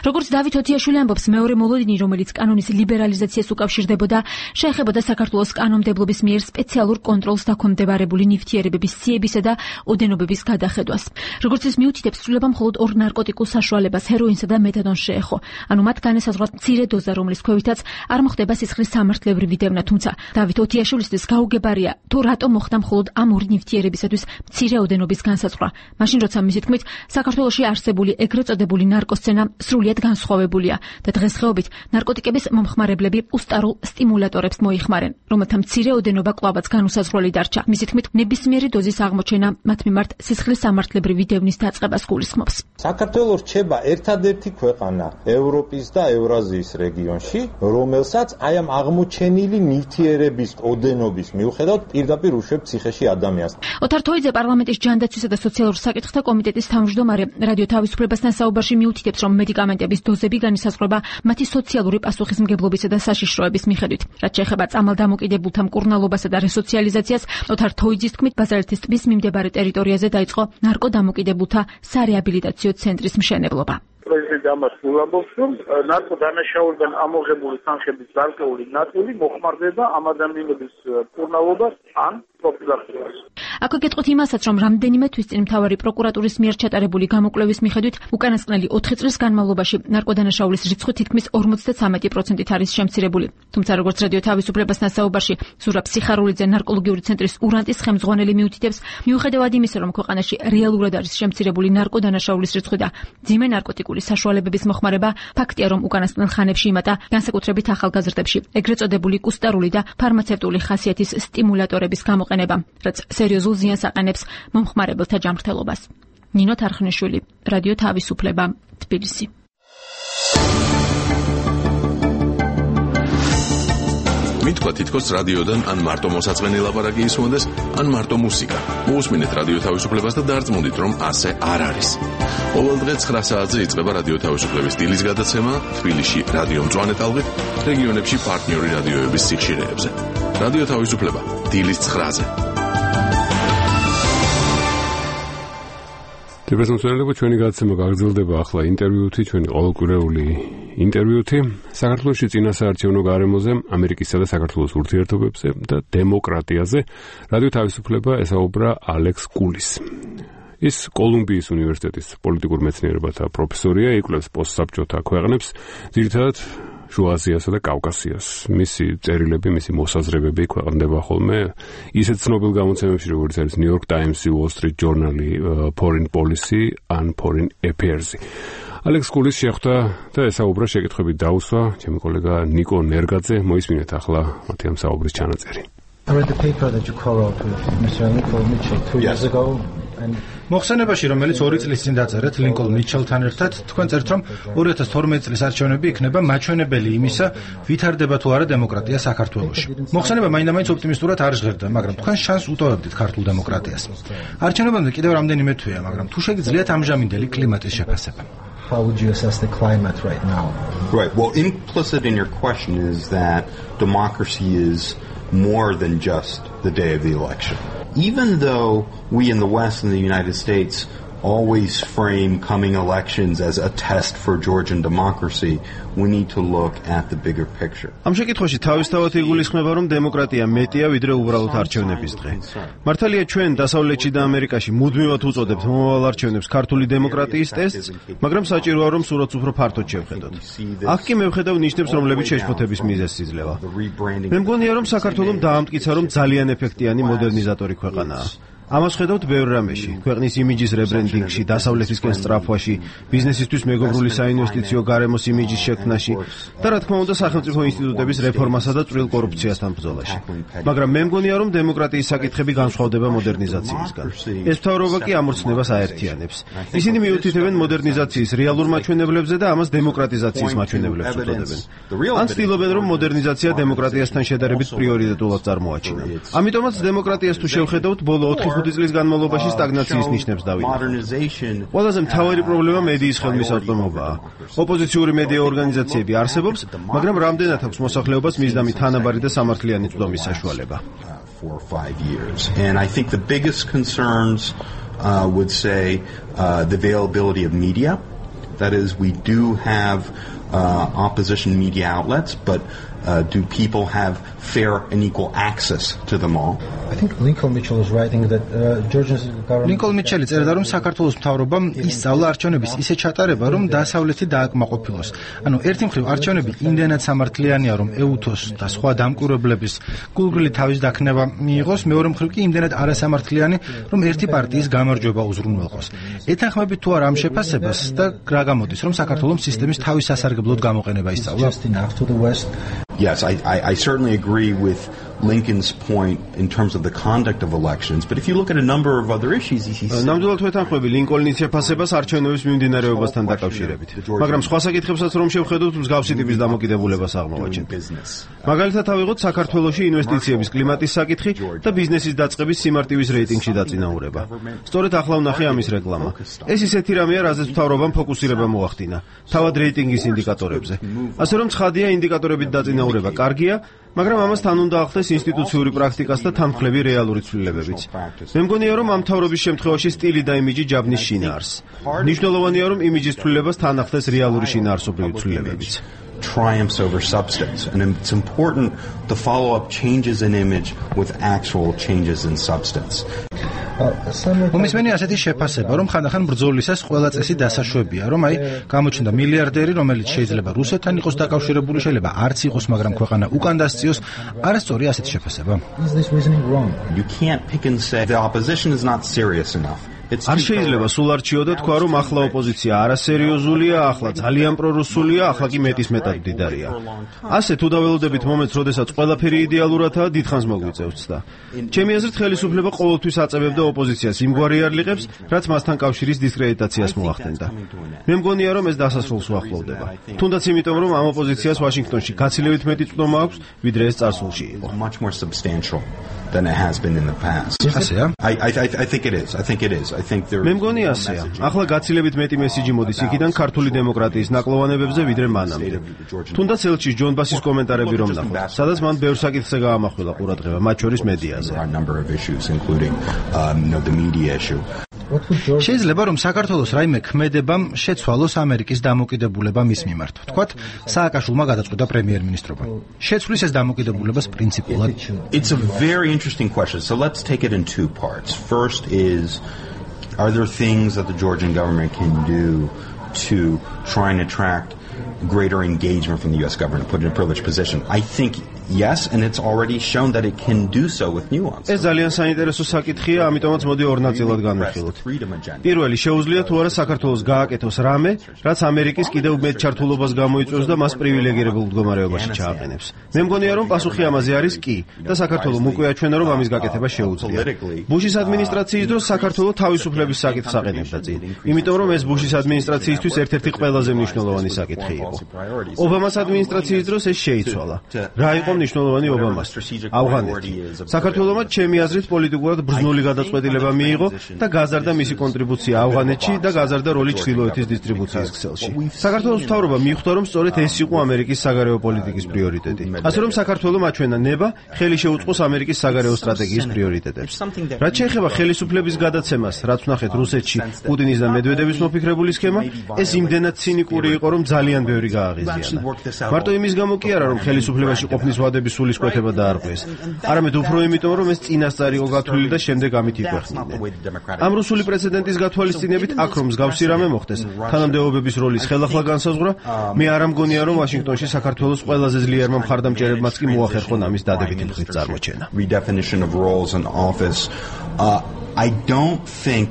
როგორც დავით ოთიაშვილი ამბობს, მეორე მოლოდინი, რომელიც კანონის ლიბერალიზაციას უკავშირდებოდა, შეეხებოდა საქართველოს კანონმდებლობის მიერ სპეციალურ კონტროლს დაქვემდებარებული ნივთიერებების სიებისა და ოდენობების გადახედვას. როგორც ის მიუთითებს, ცვლილება მხოლოდ ორ ნარკოტიკულ საშუალებას, ჰეროინსა და მეთადონს შეეხო. ანუ მათ განესაზღვრათ მცირე დოზა, რომლის ქვევითაც არ მოხდება სისხლის სამართლებრივი დევნა, თუმცა დავით ოთიაშვილისთვის გაუგებარია, თუ რატომ მოხდა მხოლოდ ამ ორი ნივთიერებისათვის მცირე ოდენობის განსაზღვრა. მაშინ, როცა მისი თქმით, საქართველოში არსებული ეგრეთ წოდებული ნარკოსცენა სრულიად განსხვავებულია და დღესდღეობით ნარკოტიკების მომხმარებლები უსტარულ სტიმულატორებს მოიხმარენ, რომელთა მცირე ოდენობა კვლავაც განუსაზღვრელი დარჩა. მისი თქმით, ნებისმიერი დოზის აღმოჩენა მათ მიმართ სისხლის სამართლებრივი დევნის დაწყებას გულისხმობს. საქართველოს რჩება ერთადერთი ქვეყანა ევროპის და ევრაზიის რეგიონში, რომელსაც აი ამ აღმოჩენილი ნივთიერების ოდენობის მიუხედავად პირდაპირ უშვებს ციხეში ადამიანს. ოთარ თოიძე პარლამენტის ჯანდაცვისა და სოციალურ საკითხთა კომიტეტის თავმჯდომარე რადიო თავისუფლებასთან საუბარში მიუთითებს, რომ მედიკამენტების დოზები განისაზღვრება მათი სოციალური პასუხისმგებლობისა და საშიშროების მიხედვით. რაც შეეხება წამალდამოკიდებულთა მკურნალობასა და რესოციალიზაციას, ოთარ თოიძის თქმით, ბაზალეთის ტბის მიმდებარე ტერიტორიაზე დაიწყო ნარკოდამოკიდებულთა სარეაბილიტაციო ცენტრის მშენებლობა. პრეზიდენტი ამას უამბობს, რომ ნარკოდანაშაულებიდან ამოღებული თანხების გარკვეული ნაწილი მოხმარდება ამ ადამიანების მკურნალობას ან პროფილაქტიკას. აქვე გეტყვით იმასაც, რომ რამდენიმე თვის წინ მთავარი პროკურატურის მიერ ჩატარებული გამოკვლევის მიხედვით უკანასკნელი 4 წლის განმავლობაში ნარკოდანაშაულის რიცხვი თითქმის 53%-ით არის შემცირებული. თუმცა როგორც რადიო თავისუფლებასთან საუბარში ზურაბ სიხარულიძე ნარკოლოგიური ცენტრის ურანტის ხელმძღვანელი მიუთითებს, მიუხედავად იმისა, რომ ქვეყანაში რეალურად არის შემცირებული ნარკოდანაშაულის რიცხვი და ძიმე ნარკოტიკული საშუალებების მოხმარება, ფაქტია, რომ უკანასკნელ ხანებში იმატა განსაკუთრებით ახალგაზრდებში ეგრეთ წოდებული კუსტარული და ფარმაცევტული ხასიათის სტიმულატორების გამოყენება, რაც სერიოზულ ზიანს აყენებს მომხმარებელთა ჯანმრთელობას. ნინო თარხნიშვილი, რადიო თავისუფლება, თბილისი. მითქვა თითქოს რადიოდან ან მარტო მოსაწყენი ლაპარაკი ისმოდეს, ან მარტო მუსიკა. მოусმინეთ რადიო თავისუფლებას და დარწმუნდით, რომ ასე არ არის. ყოველდღე 9 საათზე იწყება რადიო თავისუფლების სტილის გადაცემა თბილისში რადიო მწვანე ტალღით, რეგიონებში პარტნიორი რადიოების სიხშირეებზე. რადიო თავისუფლება დილის 9-ზე. დეპრესონსვენელება ჩვენი გადაცემა გაგრძელდება ახლა ინტერვიუთი, ჩვენი ყოველკვირეული ინტერვიუთი საქართველოში წინასაარჩევნო გარემოზე, ამერიკისა და საქართველოს ურთიერთობებზე და დემოკრატიაზე. რადიო თავისუფლება ესაუბრა ალექს კულის. ის კოლუმბიის უნივერსიტეტის პოლიტიკურ მეცნიერებათა პროფესორია, იკვლევს პოსტსაბჭოთა ქვეყნებს, ძირითადად შუა აზიასა და კავკასიას. მისი წერილები, მისი მოსაზრებები ქვეყნდება ხოლმე ისეთ ცნობილ გამოცემებში, როგორც არის New York Times, Wall Street Journal, Foreign Policy and Foreign Affairs. ალექს კულის შეხვდა და ესაუბრა შეკითხვებით დაუსვა ჩემი კოლეგა ნიკო ნერგაძე. მოისმინეთ ახლა მათი ამ საუბრის ჩანაწერი. I read the paper that you co-wrote with Mr. Lincoln Mitchell 2 years ago. მოხსენებაში, რომელიც 2 წლის წინ დაწერეთ ლინკოლ მიჩელთან ერთად, თქვენ წერთ, რომ 2012 წლის არჩევნები იქნება მაჩვენებელი იმისა, ვითარდება თუ არა დემოკრატია საქართველოში. მოხსენება მაინდა-მაინც ოპტიმისტურად არ ჟღერდა, მაგრამ თქვენ შანსს უტოვებდით ქართულ დემოკრატიას. არჩევნებამდე კიდევ რამდენიმე თვეა, მაგრამ თუ შეგიძლიათ ამჟამინდელი კლიმატის შეფასება. How would you assess the climate right now? Right. Well, implicit in your question is that democracy is more than just the day of the election. Even though we in the West and the United States always frame coming elections as a test for Georgian democracy, we need to look at the bigger picture. ამ შეკითხვაში თავისთავად იგულისხმება, რომ დემოკრატია მეტია ვიდრე უბრალოდ არჩევნების დღე. მართალია ჩვენ დასავლეთში და ამერიკაში მუდმივად უწოდებთ მომავალ არჩევნებს ქართული დემოკრატიის ტესტს, მაგრამ საჭიროა რომ სურათს უფრო ფართოდ შევხედოთ. აქ კი მევხედავ ნიშნებს, რომლებიც შეშფოთების მიზეზს იძლევა. მე მგონია, რომ საქართველოს დაამტკიცა, რომ ძალიან ეფექტიანი მოდერნიზატორი ქვეყანაა. ამას ხედავთ ბევრ რამეში: ქვეყნის იმიჯის რებრენდინგში, დასავლეთისკენ სწრაფვაში, ბიზნესისთვის მეგობრული საინვესტიციო გარემოს იმიჯის შექმნაში და რა თქმა უნდა სახელმწიფო ინსტიტუტების რეფორმასა და წვრილ კორუფციასთან ბრძოლაში. მაგრამ მე მგონია, რომ დემოკრატიის საკითხები განსხვავდება მოდერნიზაციისგან. ეს მთავრობა კი ამორცნებას აერთიანებს. ისინი მიუთითებენ მოდერნიზაციის რეალურ მაჩვენებლებზე და ამას დემოკრატიზაციის მაჩვენებლებს უწოდებენ. ან ცდილობენ, რომ მოდერნიზაცია დემოკრატიასთან შედარებით პრიორიტეტულად წარმოაჩინა. ამიტომაც დემოკრატიას თუ შევხედავთ, ბოლო 4-5 წლის განმავლობაში სტაგნაციის ნიშნებს დავინახავთ. ყველაზე მთავარი პრობლემა მედიის ხელმისაწვდომობაა. ოპოზიციური მედია ორგანიზაციები არსებობს, მაგრამ რამდენად აქვს მოსახლეობას მისდამი თანაბარი და სამართლიანი წვდომის საშუალება. 4 or 5 years. And I think the biggest concerns would say the availability of media. That is, we do have opposition media outlets, but do people have fair and equal access to them all? I think Lincoln Mitchell is writing that Georgia's government Lincoln Mitchell წერდა, რომ საქართველოს მთავრობამ ისწავლა არჩევნების ისე ჩატარება, რომ დასავლეთი დააკმაყოფილოს. ანუ ერთი მხრივ არჩევნები იმდენად სამართლიანია, რომ ეუთოს და სხვა დამკვირვებლების გულგრილი თავის დაქნება მიიღოს, მეორე მხრივ კი იმდენად არასამართლიანი, რომ ერთი პარტიის გამარჯვება უზრუნველყოს. ეთანხმებით თუ არა ამ შეფასებას და რა გამოდის, რომ საქართველოს სისტემის თავის სასარგებლოდ გამოყენება ისწავლა? Yes, I certainly agree with Lincoln's point in terms of the conduct of elections, but if you look at a number of other issues, ნამდვილად ვეთანხმები ლინკოლნის შეფასებას არჩევნების მიმდინარეობასთან დაკავშირებით. მაგრამ სხვა საკითხებსაც რომ შევხედოთ, მსგავსი ტიპის დამოკიდებულებას აღმოვაჩენთ. მაგალითად, ავიღოთ საქართველოში ინვესტიციების კლიმატის საკითხი და ბიზნესის დაწყების სიმარტივის რეიტინგში დაწინაურება. სწორედ ახლა ვნახე ამის რეკლამა. ეს ისეთი რამეა, რაზეც მთავრობამ ფოკუსირება მოახდინა, თავად რეიტინგის ინდიკატორებზე. ასე რომ ცხადია, ინდიკატორებით დაწინაურება კარგია, მაგრამ ამას თან უნდა ახდეს ინსტიტუციური პრაქტიკას და თანმხლები რეალური ცვლილებებიც. მე მგონია, რომ ამ მთავრობის შემთხვევაში სტილი და იმიჯი ჯაბნის შინაარსს. მნიშვნელოვანია, რომ იმიჯის ცვლილებას თან ახდეს რეალური შინაარსობრივი ცვლილებებიც. Triumphs over substance, and it's important to follow up changes in image with actual changes in substance. მომისმენი ასეთი შეფასება, რომ ხანდახან ბრძოლისას ყველა წესი დასაშვებია, რომ გამოჩნდა მილიარდერი, რომელიც შეიძლება რუსეთთან იყოს დაკავშირებული, შეიძლება არც იყოს, მაგრამ ქვეყანა უკან დასწიოს. არასწორი ასეთი შეფასება. You can't pick and say the opposition is not serious enough. არ შეიძლება სულ არჩიო და თქვა, რომ ახლა ოპოზიცია არასერიოზულია, ახლა ძალიან პრორუსულია, ახლა კი მეტისმეტად მდიდარია. ასე თუ დაველოდებით მომენტს, როდესაც ყველაფერი იდეალურადაა, დიდხანს მოგვიწევს და ჩემი აზრით ხელისუფლება ყოველთვის აწევებდა ოპოზიციას იმგვარ იარლიყებს, რაც მასთან კავშირის დისკრედიტაციას მოახდენდა. მე მგონია, რომ ეს დასასრულს უახლოვდება. თუნდაც იმიტომ, რომ ამ ოპოზიციას ვაშინგტონში გაცილებით მეტი წვდომა აქვს, ვიდრე ეს წარსულში იყო. Much more substantial than it has been in the past. I think it is. I think it is. მე მგონია ასეა. ახლა გაცილებით მეტი მესიჯი მოდის იქიდან ქართული დემოკრატიის ნაკლოვანებებზე ვიდრე მანამდე. თუნდაც ელჩის ჯონ ბასის კომენტარები რომ ნახოთ, სადაც მან ბევრ საკითხზე გაამახვილა ყურადღება, მათ შორის მედიაზე. შეიძლება რომ საქართველოს რაიმე ქმედებამ შეცვალოს ამერიკის დამოკიდებულება მის მიმართ. ვთქვათ, სააკაშვილმა გადაწყვიტა პრემიერ-მინისტრობა. შეცვლის ეს დამოკიდებულებას პრინციპულად. It's a very interesting question. So let's take it in two parts. First is, are there things that the Georgian government can do to try and attract greater engagement from the U.S. government, put in a privileged position? I think yes, and it's already shown that it can do so with nuance. ეს ძალიან საინტერესო საკითხია, ამიტომაც მოდი ორ ნაწილად განვიხილოთ. პირველი, შეუძლია თუ არა საქართველოს გააკეთოს რამე, რაც ამერიკის კიდევ მეტ ჩართულობას გამოიწვევს და მას პრივილეგირებულ მდგომარეობაში ჩააყენებს. მე მგონია, რომ პასუხი ამაზე არის კი და საქართველოს უკვე აჩვენა, რომ ამის გაკეთება შეუძლია. ბუშის ადმინისტრაციის დროს საქართველოს თავისუფლების საკითხს აყენებდა წინ, იმიტომ რომ ეს ბუშის ადმინისტრაციისთვის ერთ-ერთი ყველაზე მნიშვნელოვანი საკითხი იყო. ობამას ადმინისტრაციის დროს ეს შეიცვალა. რა იყო მნიშვნელოვანი ობამასთვის? ავღანეთი. საქართველოსმა ჩემი აზრით პოლიტიკურად ბრძნული გადაწყვეტილება მიიღო და გაზარდა მისი კონტრიბუცია ავღანეთში და გაზარდა როლი ჩრდილოეთის დისტრიბუციის ქსელში. საქართველოს მთავრობა მიხვდა, რომ სწორედ ეს იყო ამერიკის საგარეო პოლიტიკის პრიორიტეტი. ასე რომ საქართველოს აჩვენა ნება ხელი შეუწყოს ამერიკის საგარეო სტრატეგიის პრიორიტეტებს. რაც შეეხება ხელისუფლების გადაცემას, რაც ვნახეთ რუსეთში პუტინის და მედვედევის მოფიქრებული სქემა, ეს იმდენად ცინიკური იყო, რომ ძალიან ბევრი გააღიზიანა. მარტო იმის გამო კი არა, რომ ხელისუფლებაში ყოფნის ვადების სულისკვეთება დაარღვიეს. არამედ უფრო იმიტომ, რომ ეს წინასწარ იყო გათვლილი და შემდეგ ამით იყვეხნიდნენ. ამ რუსული პრეცედენტის გათვალისწინებით აქ რომ მსგავსი რამე მოხდეს, თანამდებობების როლის ხელახლა განსაზღვრა, მე არ ამგონია, რომ ვაშინგტონში საქართველოს ყველაზე ძლიერმა მხარდამჭერებმაც კი მოახერხონ ამის დადებითი მხრით წარმოჩენა. I don't think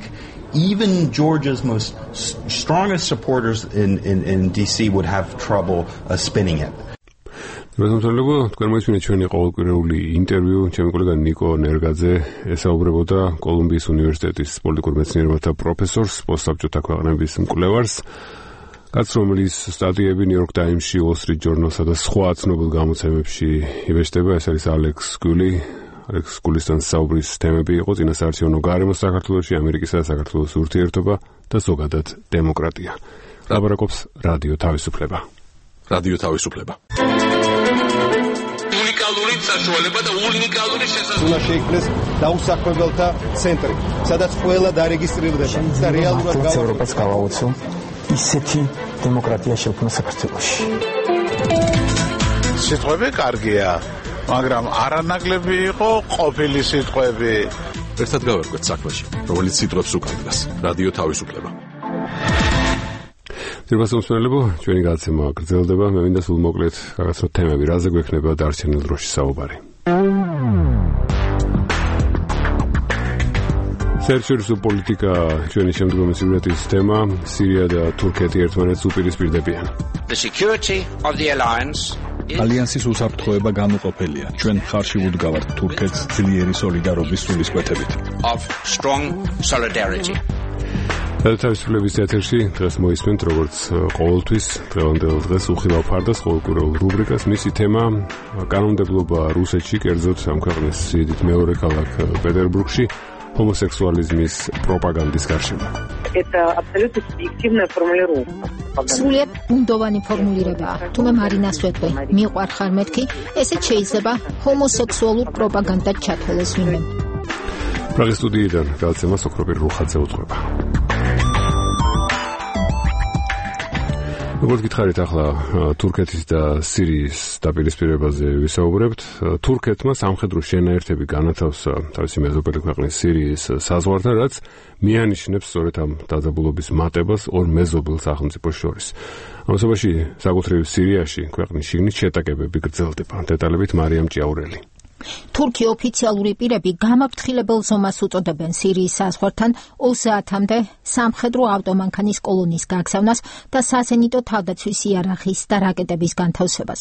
even Georgia's most strongest supporters in DC would have trouble spinning it. Rozumiem, თქვენ მოისმინეთ ჩვენი ყოველკვირეული ინტერვიუ, ჩემი კოლეგა ნიკო ნერგაძე ესაუბრებოდა კოლუმბიის უნივერსიტეტის პოლიტიკურ მეცნიერებათა პროფესორს, პოსტსაბჭოთა ქვეყნების მკვლევარს, კაცს, რომელიც სტატიები New York Times-ში, Wall Street Journal-სა და სხვა ცნობილ გამოცემებში იბეჭდება, ეს არის ალექს გული. ალექს გულისთან საუბრის თემები იყო წინასაარჩევნო გარემო საქართველოში, ამერიკისა და საქართველოს ურთიერთობა და ზოგადად დემოკრატია. ლაბორაკობს რადიო თავისუფლება. რადიო თავისუფლება. უნიკალური საშუალება და უნიკალური შესაძლებლობა. უნდა შეიქმნეს დაუსაქმებელთა ცენტრი, სადაც ყველა დარეგისტრირდება და რეალურად ევროპას გავაუწევ ისეთი დემოკრატია შექმნა საქართველოში. სიტყვები კარგია, მაგრამ არანაკლები იყო ყოფილი სიტყვები. ერთად გავერკვეთ საქმეში, რომელიც სიტყვებს უკავშირდება. რადიო თავისუფლება. ძირფასმოსმენელებო, ჩვენი გადაცემა გრძელდება. მე მინდა სულ მოკლედ გაგაცნოთ თემები, რაზე გვექნება დარჩენილ დროში საუბარი. საერთაშორისო პოლიტიკა ჩვენი შემდგომი სიუჟეტის თემა, სირია და თურქეთი ერთმანეთს უპირისპირდებიან. The security of the alliance ალიანსის უსაფრთხოება განუყოფელია. ჩვენ მხარში ვუდგავართ თურქეთს ძლიერი სოლიდარობის სულისკვეთებით. of strong solidarity. თავისუფლების თეატრში დღეს მოისმენთ, როგორც ყოველთვის, დღევანდელ დღეს უხილავ ფარდას ყოველკვირეულ რუბრიკას. მისი თემა კანონმდებლობა რუსეთში, კერძოდ ამ ქვეყნის სიდიდით მეორე ქალაქ პეტერბურგში, ჰომოსექსუალიზმის პროპაგანდის გარშემო. Это абсолютно субъективная формулировка. სრულიად ბუნდოვანი ფორმულირებაა. თუმე მარინას ვეთქვი, მიყვარხარ მეთქი, ესეც შეიძლება ჰომოსექსუალურ პროპაგანდად ჩათვალოს ვინმე. პრაღის სტუდიიდან გადაცემა სოქროპირ რუხაძე უძღვება. როგორც გითხარით, ახლა თურქეთის და სირიის დაპირისპირებაზე ვისაუბრებთ. თურქეთმა სამხედრო შენაერთები განათავსა თავისი მეზობელი ქვეყნის სირიის საზღვართან, რაც მიანიშნებს სწორედ ამ დაძაბულობის მატებას ორ მეზობელ სახელმწიფოს შორის. ამასობაში საკუთრივ სირიაში ქვეყნის შიგნით შეტაკებები გრძელდება. დეტალებით მარიამ ჭიაურელი. თურქი ოფიციალური პირები გამაფრთხილებელ ზომას უწოდებენ სირიის საზღვართან 30-მდე სამხედრო ავტომანქანის კოლონის გაგზავნას და საზენიტო თავდაცვის იარაღის და რაკეტების განთავსებას.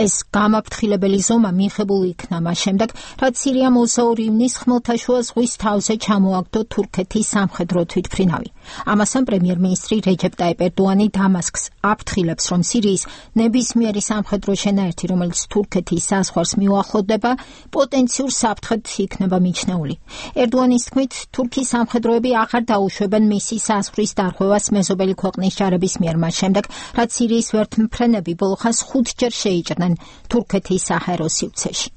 ეს გამაფრთხილებელი ზომა მიღებული იქნა მას შემდეგ, რაც სირიამ 22 ივნისს ხმელთაშუა ზღვის თავზე ჩამოაგდო თურქეთის სამხედრო თვითმფრინავი. ამასთან პრემიერ-მინისტრი რეჯეპ ტაიპ ერდოანი დამასკს აფრთხილებს, რომ სირიის ნებისმიერი სამხედრო შენაერთი, რომელიც თურქეთის საზღვარს მიუახლოვდება, პოტენციურ საფრთხედ იქნება მიჩნეული. ერდოანის თქმით, თურქიის სამხედროები აღარ დაუშვებენ მისი საზღვრის დარღვევას მეზობელი ქვეყნის ჯარების მიერ მას შემდეგ, რაც სირიის ვერთმფრენები ბოლო ხანს 5 ჯერ შეიჭრნენ თურქეთის საჰაერო სივრცეში.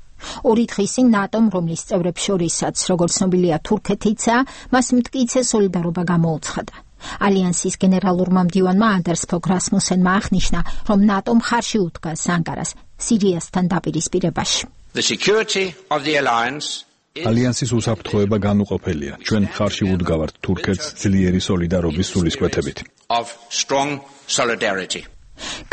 ორი დღის წინ ნატომ, რომლის წევრებს შორისაც, როგორც ცნობილია, თურქეთიცაა, მას მტკიცე სოლიდარობა გამოუცხადა. ალიანსის გენერალურმა მდივანმა ანდერს ფოგ რასმუსენმა აღნიშნა, რომ ნატომ ხარში უდგას ანკარას სირიასთან დაპირისპირებაში. The security of the alliance ალიანსის უსაფრთხოება განუყოფელია. ჩვენ ხარში ვუდგავართ თურქეთს ძლიერი სოლიდარობის სულისკვეთებით. of strong solidarity.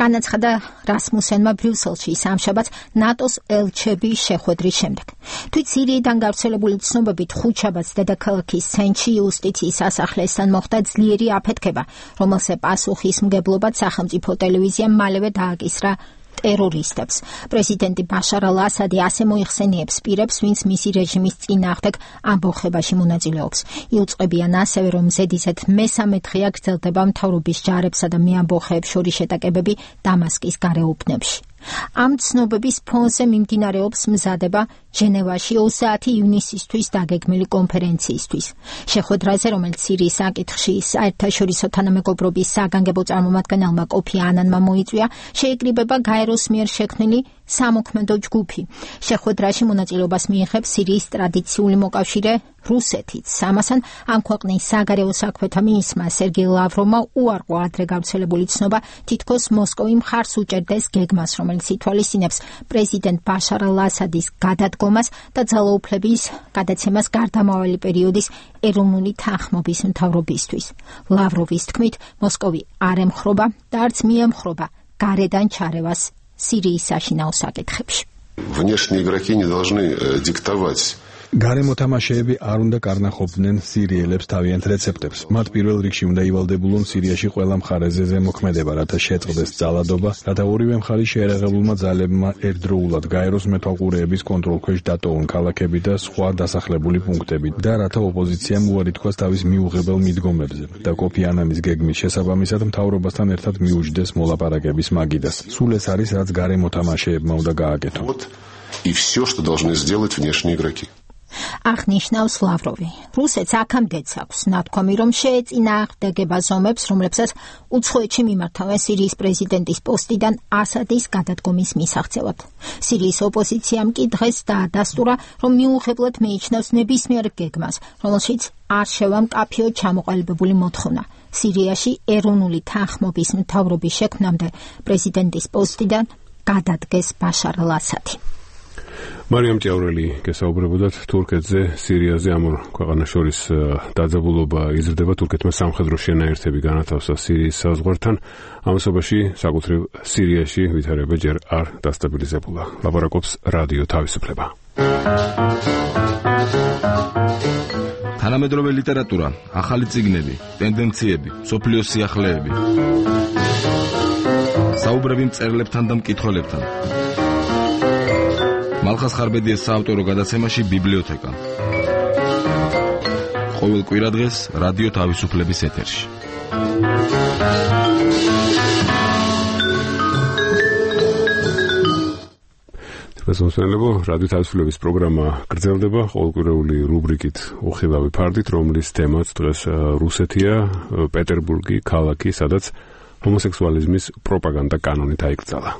განაცხადა რასმუსენმა ბრიუსელში სამშაბათს ნატოს ელჩების შეხვედრის შემდეგ. თვით სირიიდან გავრცელებული ცნობებით ხუთშაბათს დედაქალაქის ცენტრში იუსტიციის სასახლესთან მოხდა ძლიერი აფეთქება, რომელზე პასუხისმგებლობად სახელმწიფო ტელევიზიამ მალევე დააკისრა ტერორისტებს. პრეზიდენტი ბაშარ ალ-ასადი ასე მოიხსენიებს პირებს, ვინც მისი რეჟიმის წინააღმდეგ ამბოხებაში მონაწილეობს. იუწყებიან ასევე, რომ ზედიზედ მესამე დღეა გრძელდება მთავრობის ჯარებსა და მეამბოხეებს შორის შეტაკებები დამასკის გარეუბნებში. ამ ცნობების ფონზე მიმდინარეობს მზადება ჟენევაში 30 ივნისისთვის დაგეგმილი კონფერენციისთვის. შეხვედრაზე, რომელიც სირიის საკითხში საერთაშორისო თანამეგობრობის საგანგებო წარმომადგენელმა კოფი ანანმა მოიწვია, შეიკრიბება გაეროს მიერ შექმნილი სამოქმედო ჯგუფი. შეხვედრაში მონაწილეობას მიიღებს სირიის ტრადიციული მოკავშირე რუსეთიც. ამასთან ამ ქვეყნის საგარეო საქმეთა მინისტრმა სერგეი ლავროვმა უარყო ადრე გავრცელებული ცნობა, თითქოს მოსკოვი მხარს უჭერდეს გეგმას, რომელიც ითვალისწინებს პრეზიდენტ ბაშარ ალ-ასადის გადადგომას და ძალაუფლების გადაცემას გარდამავალი პერიოდის ეროვნული თანხმობის მთავრობისთვის. ლავროვის თქმით, მოსკოვი არ ემხრობა და არც მიემხრობა გარედან ჩარევას სირიის საშინაო საკითხებში. Внешние игроки не должны диктовать. გარემო თამაშეები არ უნდა კარნახობდნენ სირიელებს თავიანთ რეცეპტებს. მათ პირველ რიგში უნდა ივალდებულონ სირიაში ყველა მხარეზე ზემოქმედება, რათა შეწყდეს ძალადობა, რათა ორივე მხარის შეერაღებულმა ძალებმა ერთდროულად გაეროს მეთვალყურეების კონტროლქვეშ დატოვონ ქალაქები და სხვა დასახლებული პუნქტები და რათა ოპოზიციამ უარი თქვას თავის მიუღებელ მიდგომებზე და კოფი ანანის გეგმის შესაბამისად მთავრობასთან ერთად მიუჯდეს მოლაპარაკების მაგიდას. სულ ეს არის, რაც გარემო თამაშეებმა უნდა გააკეთონ. И все, что должны сделать внешние игроки. აღნიშნავს ლავროვი. რუსეთს აქამდეც აქვს ნათქვამი, რომ შეეწინააღმდეგება ზომებს, რომლებსაც უცხოეთში მიმართავენ სირიის პრეზიდენტის პოსტიდან ასადის გადადგომის მისაღწევად. სირიის ოპოზიციამ კი დღეს დაადასტურა, რომ მიუღებლად მიიჩნევს ნებისმიერ გეგმას, რომელშიც არ შევა მკაფიოდ ჩამოყალიბებული მოთხოვნა. სირიაში ეროვნული თანხმობის მთავრობის შექმნამდე პრეზიდენტის პოსტიდან გადადგეს ბაშარ ალ-ასადი. მარიამ ჭიაურელი გესაუბრებოდათ თურქეთზე, სირიაზე. ამ ორ ქვეყანას შორის დაძაბულობა იზრდება. თურქეთმა სამხედრო შენაერთები განათავსა სირიის საზღვართან. ამასობაში საკუთრივ სირიაში ვითარება ჯერ არ დასტაბილიზებულა. ლაპარაკობს რადიო თავისუფლება. თანამედროვე ლიტერატურა, ახალი წიგნები, ტენდენციები, სოფლიოს სიახლეები. საუბრები მწერლებთან და მკითხველებთან. მალხას ხარბედიას საავტორო გადაცემაში ბიბლიოთეკა. ყოველ კვირადღეს რადიო თავისუფლების ეთერში. მოსმენელებო, რადიო თავისუფლების პროგრამა გრძელდება ყოველკვირეული რუბრიკით უხილავი ფარდით, რომლის თემაც დღეს რუსეთია, პეტერბურგი, ქალაქი, სადაც ჰომოსექსუალიზმის პროპაგანდა კანონით აიკრძალა.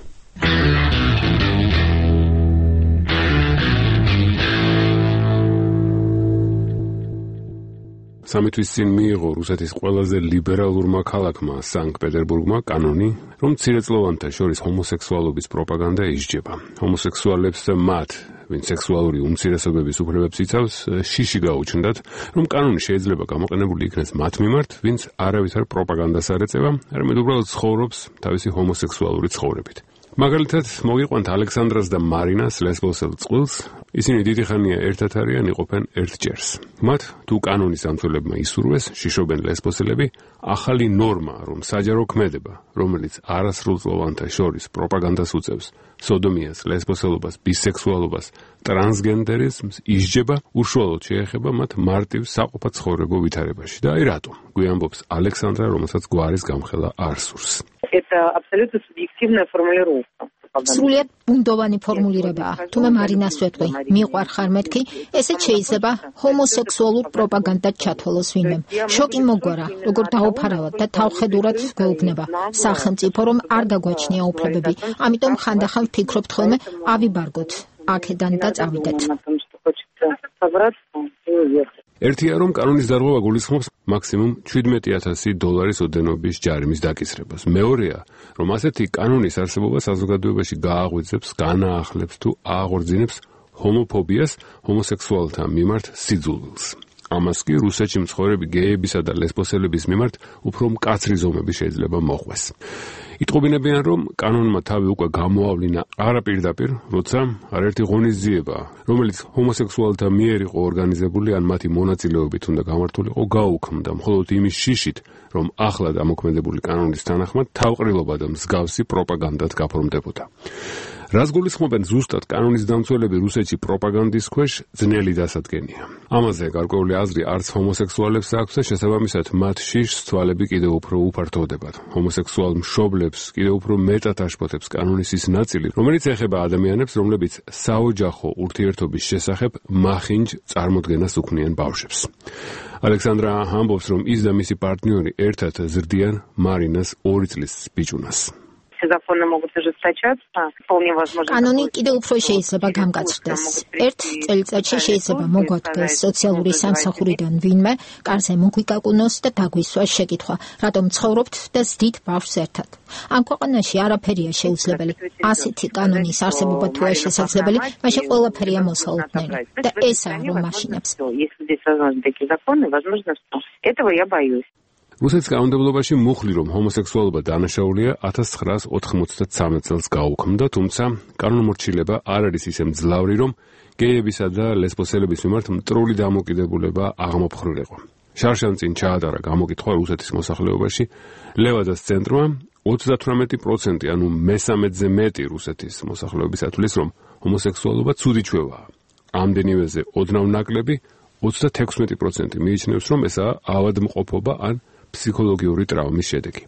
სამი თვის წინ მიიღო რუსეთის ყველაზე ლიბერალურმა ქალაქმა სანქტ-პეტერბურგმა კანონი, რომ მცირეწლოვანთა შორის ჰომოსექსუალობის პროპაგანდა ისჯება. ჰომოსექსუალებს და მათ, ვინც სექსუალური უმცირესობების უფლებებს იცავს, შიში გაუჩნდათ, რომ კანონი შეიძლება გამოყენებული იქნეს მათ მიმართ, ვინც არავითარ პროპაგანდას არ ეწევა, არამედ უბრალოდ ცხოვრობს თავისი ჰომოსექსუალური ცხოვრებით. მაგალითად, მოგიყვანთ ალექსანდრას და მარინას ლესბოსელ წყვილს, ისინი დიდი ხანია ერთად არიან, იყოფენ ერთ ჭერს. მათ თუ კანონის ამცველებმა ისურვეს, შიშობენ ლესბოსელები, ახალი ნორმა, რომ საჯარო ქმედება, რომელიც არასრულწლოვანთა შორის პროპაგანდას უწევს, სოდომიას, ლესბოსელობას, ბისექსუალობას, ტრანსგენდერიზმს ისჯება, უშუალოდ შეეხება მათ მარტივ საყოფად ცხოვრებო ვითარებაში. და აი რატომ? გვიამბობს ალექსანდრა, რომელსაც გვარის გამხელა არ სურს. Это абсолютно субъективная формулировка. სრულიად ბუნდოვანი ფორმულირებაა. თუმე მარინას ვეტყვი, მიყვარ ხარ მეთქი, ესეც შეიძლება ჰომოსექსუალურ პროპაგანდად ჩათვალოს ვინმემ. შოკი მოგვარა, როგორ დაუფარავად და თავხედურად გვეუბნება სახელმწიფო, რომ არ გაგვაჩნია უფლებები. ამიტომ ხანდახან ვფიქრობთ ხოლმე, ავიბარგოთ აქედან და წავიდეთ. ერთია, რომ კანონის დარღვევა გულისხმობს მაქსიმუმ $17,000 ოდენობის ჯარიმის დაკისრებას. მეორეა, რომ ასეთი კანონის არსებობა საზოგადოებაში გააღვიძებს, განაახლებს თუ აღორძინებს ჰომოფობიას, ჰომოსექსუალთა მიმართ სიძულვილს. ამას კი რუსეთში მცხოვრები გეებისა და ლესბოსელების მიმართ უფრო მკაცრი ზომები შეიძლება მოხვეს. იტყობინებიან, რომ კანონმა თავი უკვე გამოავლინა არა პირდაპირ, როცა არაერთი ღონისძიება, რომელიც ჰომოსექსუალთა მიერ იყო ორგანიზებული ან მათი მონაწილეობით უნდა გამართულიყო, გაუქმდა მხოლოდ იმის შიშით, რომ ახლად ამოქმედებული კანონის თანახმად თავყრილობა და მსგავსი პროპაგანდად გაფორმდებოდა. რას გულისხმობენ ზუსტად კანონის დამცველები რუსეთში პროპაგანდის ქვეშ, ძნელი დასადგენია. ამაზე გარკვეული აზრი არც ჰომოსექსუალებს აქვს და შესაბამისად მათ შიშს თვალები კიდევ უფრო უფართოვდებათ. ჰომოსექსუალ მშობლებს კიდევ უფრო მეტად აშფოთებს კანონის ის ნაწილი, რომელიც ეხება ადამიანებს, რომლებიც საოჯახო ურთიერთობის შესახებ მახინჯ წარმოდგენას უქმნიან ბავშვებს. ალექსანდრა ამბობს, რომ ის და მისი პარტნიორი ერთად ზრდიან მარინას 2 წლის ბიჭუნას. Все законы могут ужесточаться. Вполне возможно. კანონი კიდევ უფრო შეიძლება გამგაცრდეს. ერთ წელიწადში შეიძლება მოგვადგეს სოციალური სამსახურიდან ვინმე, კარზე მოგვიკაკუნოს და დაგვისვას შეკითხვა, რატომ ცხოვრობთ და ზდით ბავშვს ერთად. ამ ქვეყანაში არაფერია შეუძლებელი. ასეთი კანონის არსებობა თუ არ შესაძლებელი, მაშინ ყველაფერია მოსალოდნელი. და ესაა რომ მაშინებს. Если здесь возможны такие законы, возможно, что этого я боюсь. რუსეთის კანონმდებლობაში მუხლი რომ ჰომოსექსუალობა დანაშაულია 1993 წელს გაუქმდა, თუმცა კანონმორჩილება არ არის ისე მძლავრი, რომ გეებისა და ლესბოსელების მიმართ მტრული დამოკიდებულება აღმოფხრილიყო. შარშან წინ ჩაატარა გამოკითხვა რუსეთის მოსახლეობაში, ლევადას ცენტრმა 38%, ანუ მესამედზე მეტი რუსეთის მოსახლეობის ათვლის, რომ ჰომოსექსუალობა ცუდი ჩვევაა. ამდენივეზე ოდნავ ნაკლები 36% მიიჩნევს, რომ ესაა ავადმყოფობა ან ფსიქოლოგიური ტრავმის შედეგი.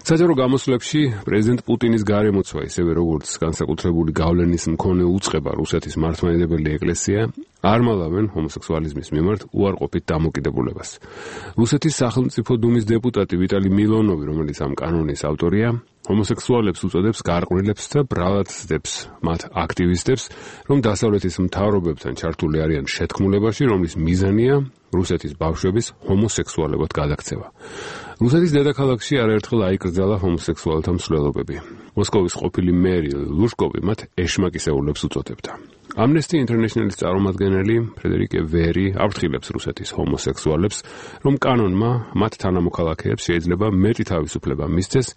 საჯარო გამოსვლებში პრეზიდენტ პუტინის გარემოცვა, ისევე როგორც განსაკუთრებული გავლენის მქონე უწყება რუსეთის მართლმადიდებელი ეკლესია არ მალავენ ჰომოსექსუალიზმის მიმართ უარყოფით დამოკიდებულებას. რუსეთის სახელმწიფო დუმის დეპუტატი ვიტალი მილონოვი, რომელიც ამ კანონის ავტორია, ჰომოსექსუალებს უწოდებს გარყვნილებს და ბრალად სდებს მათ აქტივისტებს, რომ დასავლეთის მთავრობებთან ჩართული არიან შეთქმულებაში, რომლის მიზანია რუსეთის ბავშვების ჰომოსექსუალებად გადაქცევა. რუსეთის დედაქალაქში არაერთხელ აიკრძალა ჰომოსექსუალთა მსვლელობები. მოსკოვის ყოფილი მერი ლუშკოვი მათ ეშმაკისეულებს უწოდებდა. Amnesty International-ის წარმომადგენელი ფრედერიკე ვერი აფრთხილებს რუსეთის ჰომოსექსუალებს, რომ კანონმა მათ თანამოქალაქეებს შეიძლება მეტი თავისუფლება მისცეს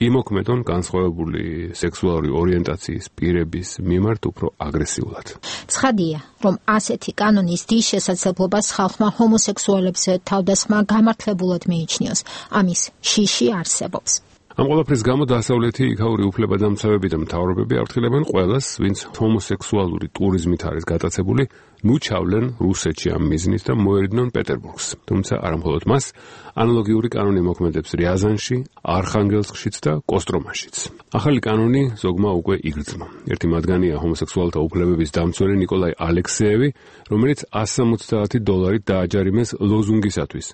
იმოქმედონ განსხვავებული სექსუალური ორიენტაციის პირების მიმართ უფრო აგრესიულად. ცხადია, რომ ასეთი კანონის დის შესაძლებლობას ხალხმა ჰომოსექსუალებზე თავდასხმა გამართლებულად მიიჩნიოს. ამის შიში არსებობს. ამ ყველაფრის გამო დასავლეთი იქაური უფლებადამცავები და მთავრობები აფრთხილებენ ყველას, ვინც ჰომოსექსუალური ტურიზმით არის გატაცებული, ნუ ჩავლენ რუსეთში ამ მიზნით და მოერიდნენ პეტერბურგს. თუმცა არა მხოლოდ მას, ანალოგიური კანონი მოქმედებს რიაზანში, არხანგელსკშიც და კოსტრომაშიც. ახალი კანონი ზოგმა უკვე იგრძნო. ერთი მათგანია ჰომოსექსუალთა უფლებების დამცველი ნიკოლაი ალექსეევი, რომელიც $170 დააჯარიმეს ლოზუნგისათვის.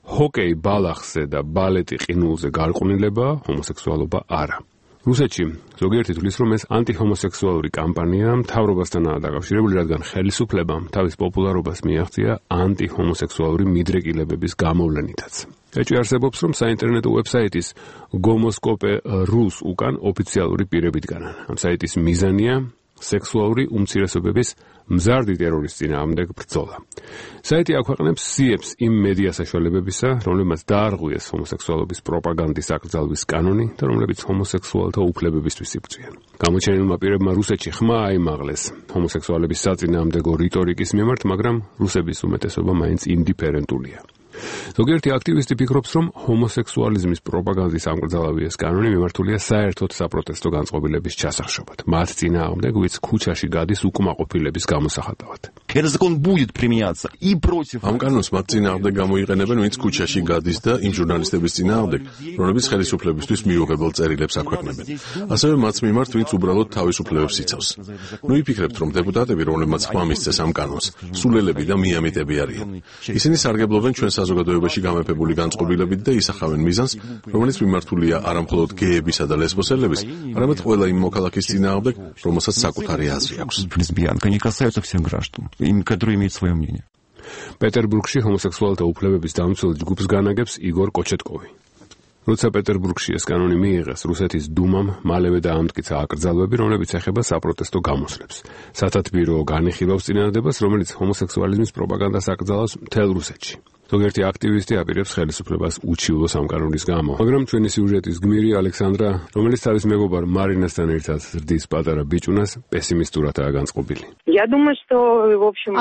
ჰოკეი ბალახზე და ბალეტი ყინულზე გარყვნილება, ჰომოსექსუალობა არა. რუსეთში ზოგიერთი თვლის, რომ ეს ანტიჰომოსექსუალური კამპანია მთავრობასთანაა დაკავშირებული, რადგან ხელისუფლებამ თავის პოპულარობას მიაღწია ანტიჰომოსექსუალური მიდრეკილებების გამოვლენითაც. ეჭვი არსებობს, რომ საინტერნეტო ვებსაიტის გომოსკოპე.რუს უკან ოფიციალური პირებით განან. ამ საიტის მიზანია სექსუალური უმცირესობების მზარდი ტერორის წინააღმდეგ ბრძოლა. საიტი აქვეყნებს სიებს იმ მედია საშუალებებისა, რომლებმაც დაარღვიეს ჰომოსექსუალობის პროპაგანდის აკრძალვის კანონი და რომლებიც ჰომოსექსუალთა უფლებებისთვის იბრძვიან. გამოჩენილმა პირებმა რუსეთში ხმა აიმაღლეს ჰომოსექსუალების საწინააღმდეგო რიტორიკის მიმართ, მაგრამ რუსების უმეტესობა მაინც ინდიფერენტულია. ზოგიერთი აქტივისტი ფიქრობს, რომ ჰომოსექსუალიზმის პროპაგანდის აკრძალავი ეს კანონი მიმართულია საერთოდ საპროტესტო განწყობილების ჩასახშობად. მათ წინააღმდეგ, ვინც ქუჩაში გადის უკმაყოფილების გამოსახატავად. ამ კანონს მათ წინააღმდეგ გამოიყენებენ, ვინც ქუჩაში გადის და იმ ჟურნალისტების წინააღმდეგ, რომლებიც ხელისუფლებისთვის მიუღებელ წერილებს აქვეყნებენ. ასევე მათ მიმართ, ვინც უბრალოდ თავისუფლებებს იცავს. ნუ იფიქრებთ, რომ დეპუტატები, რომლებმაც ხმა მისცეს ამ კანონს, სულელები და მიამიტები არიან. ისინი სარგებლობენ ჩვენ საზოგადოებაში გამეფებული განწყობილებით და ისახავენ მიზანს, რომელიც მიმართულია არა მხოლოდ გეებისა და ლესბოსელების, არამედ ყველა იმ მოქალაქის წინააღმდეგ, რომელსაც საკუთარი აზრი აქვს. პეტერბურგში ჰომოსექსუალთა უფლებების დამცველ ჯგუფს განაგებს იგორ კოჩეტკოვი. როცა პეტერბურგში ეს კანონი მიიღეს, რუსეთის დუმამ მალევე დაამტკიცა აკრძალვები, რომლებიც ეხება საპროტესტო გამოსვლებს. სათათბირო განიხილავს წინადადებას, რომელიც ჰომოსექსუალიზმის პროპაგანდას აკრძალავს მთელ რუსეთში. ზოგიერთი აქტივისტი აპირებს ხელისუფლებას უჩივლოს ამ კანონის გამო, მაგრამ ჩვენი სიუჟეტის გმირი ალექსანდრა, რომელიც თავის მეგობარ მარინასთან ერთად ზრდის პატარა ბიჭუნას, პესიმისტურადაა განწყობილი.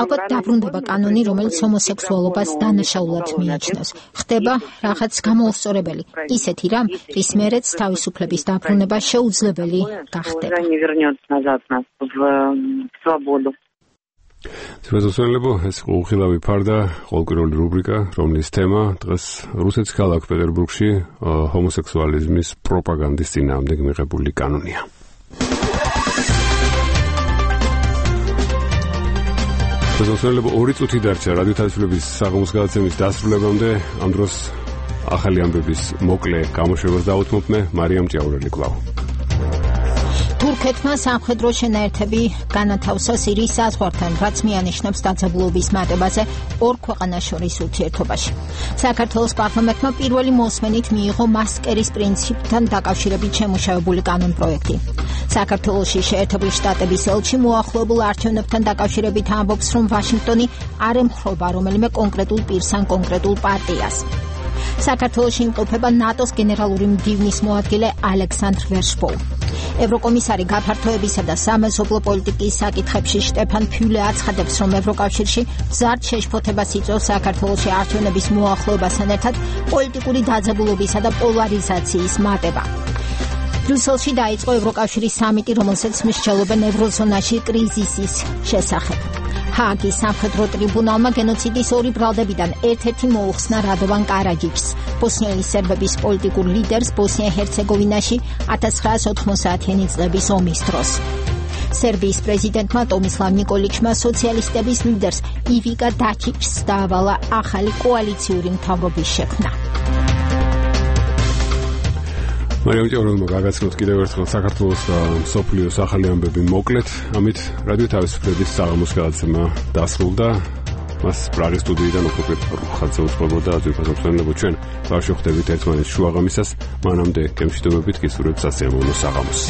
ალბათ დაბრუნდება კანონი, რომელიც ჰომოსექსუალობას დანაშაულად მიიჩნევს. ხდება რაღაც გამოუსწორებელი, ისეთი რამ, რის მერეც თავისუფლების დაბრუნება შეუძლებელი გახდება. ძვირადღირებო, ეს უხილავი ფარდა, ყოველკვირეული რუბრიკა, რომლის თემა დღეს რუსეთის ქალაქ პეტერბურგში ჰომოსექსუალიზმის პროპაგანდის წინააღმდეგ მიღებული კანონია. ძვირადღირებო, 2 წუთი დარჩა რადიო თავისუფლების საღამოს გადაცემის დასრულებამდე. ამ დროს ახალი ამბების მოკლე გამოშვებას დაუთმობ მე მარიამ ჭიაურელი კვლავ. თურქეთმა სამხედრო შენაერთები განათავსა სირიის საზღვართან, რაც მიანიშნებს დაძაბულობის მატებაზე ორ ქვეყანას შორის ურთიერთობაში. საქართველოს პარლამენტმა პირველი მოსმენით მიიღო მასკერის პრინციპთან დაკავშირებით შემუშავებული კანონპროექტი. საქართველოში შეერთებული შტატების ელჩი მოახლოებულ არჩევნებთან დაკავშირებით ამბობს, რომ ვაშინგტონი არ ემხრობა რომელიმე კონკრეტულ პირს ან კონკრეტულ პარტიას. საქართველოში იმყოფება ნატოს გენერალური მდივნის მოადგილე ალექსანდრ ვერშბოუ. ევროკომისარი გაფართოებისა და სამეზობლო პოლიტიკის საკითხებში შტეფან ფიულე აცხადებს, რომ ევროკავშირში მზარდ შეშფოთებას იწვევს საქართველოში არჩევნების მოახლოებასთან ერთად პოლიტიკური დაძაბულობისა და პოლარიზაციის მატება. ბრიუსელში დაიწყო ევროკავშირის სამიტი, რომელსაც მსჯელობენ ევროზონაში კრიზისის შესახებ. ჰააგის სამხედრო ტრიბუნალმა გენოციდის ორი ბრალდებიდან ერთ-ერთი მოუხსნა რადოვან კარაჯიჩს, ბოსნიელი სერბების პოლიტიკურ ლიდერს ბოსნია-ჰერცეგოვინაში 1990-იანი წლების ომის დროს. სერბიის პრეზიდენტმა ტომისლავ ნიკოლიჩმა სოციალისტების ლიდერს ივიკა დაჩიჩს დაავალა ახალი კოალიციური მთავრობის შექმნა. მარიამ ჭიაურელმა გაგაცნოთ კიდევ ერთხელ საქართველოს და მსოფლიოს ახალი ამბები მოკლედ. ამით რადიო თავისუფლების საღამოს გადაცემა დასრულდა. მას პრაღის სტუდიიდან უკვე ხალხზე უწყობოდა აზერბაიჯანის პრეზიდენტი ჩვენ ვარშავ ხდებით ერთმანეთს შუაღამისას. მანამდე გემშვიდობებით გისურვებთ სასიამოვნო საღამოს.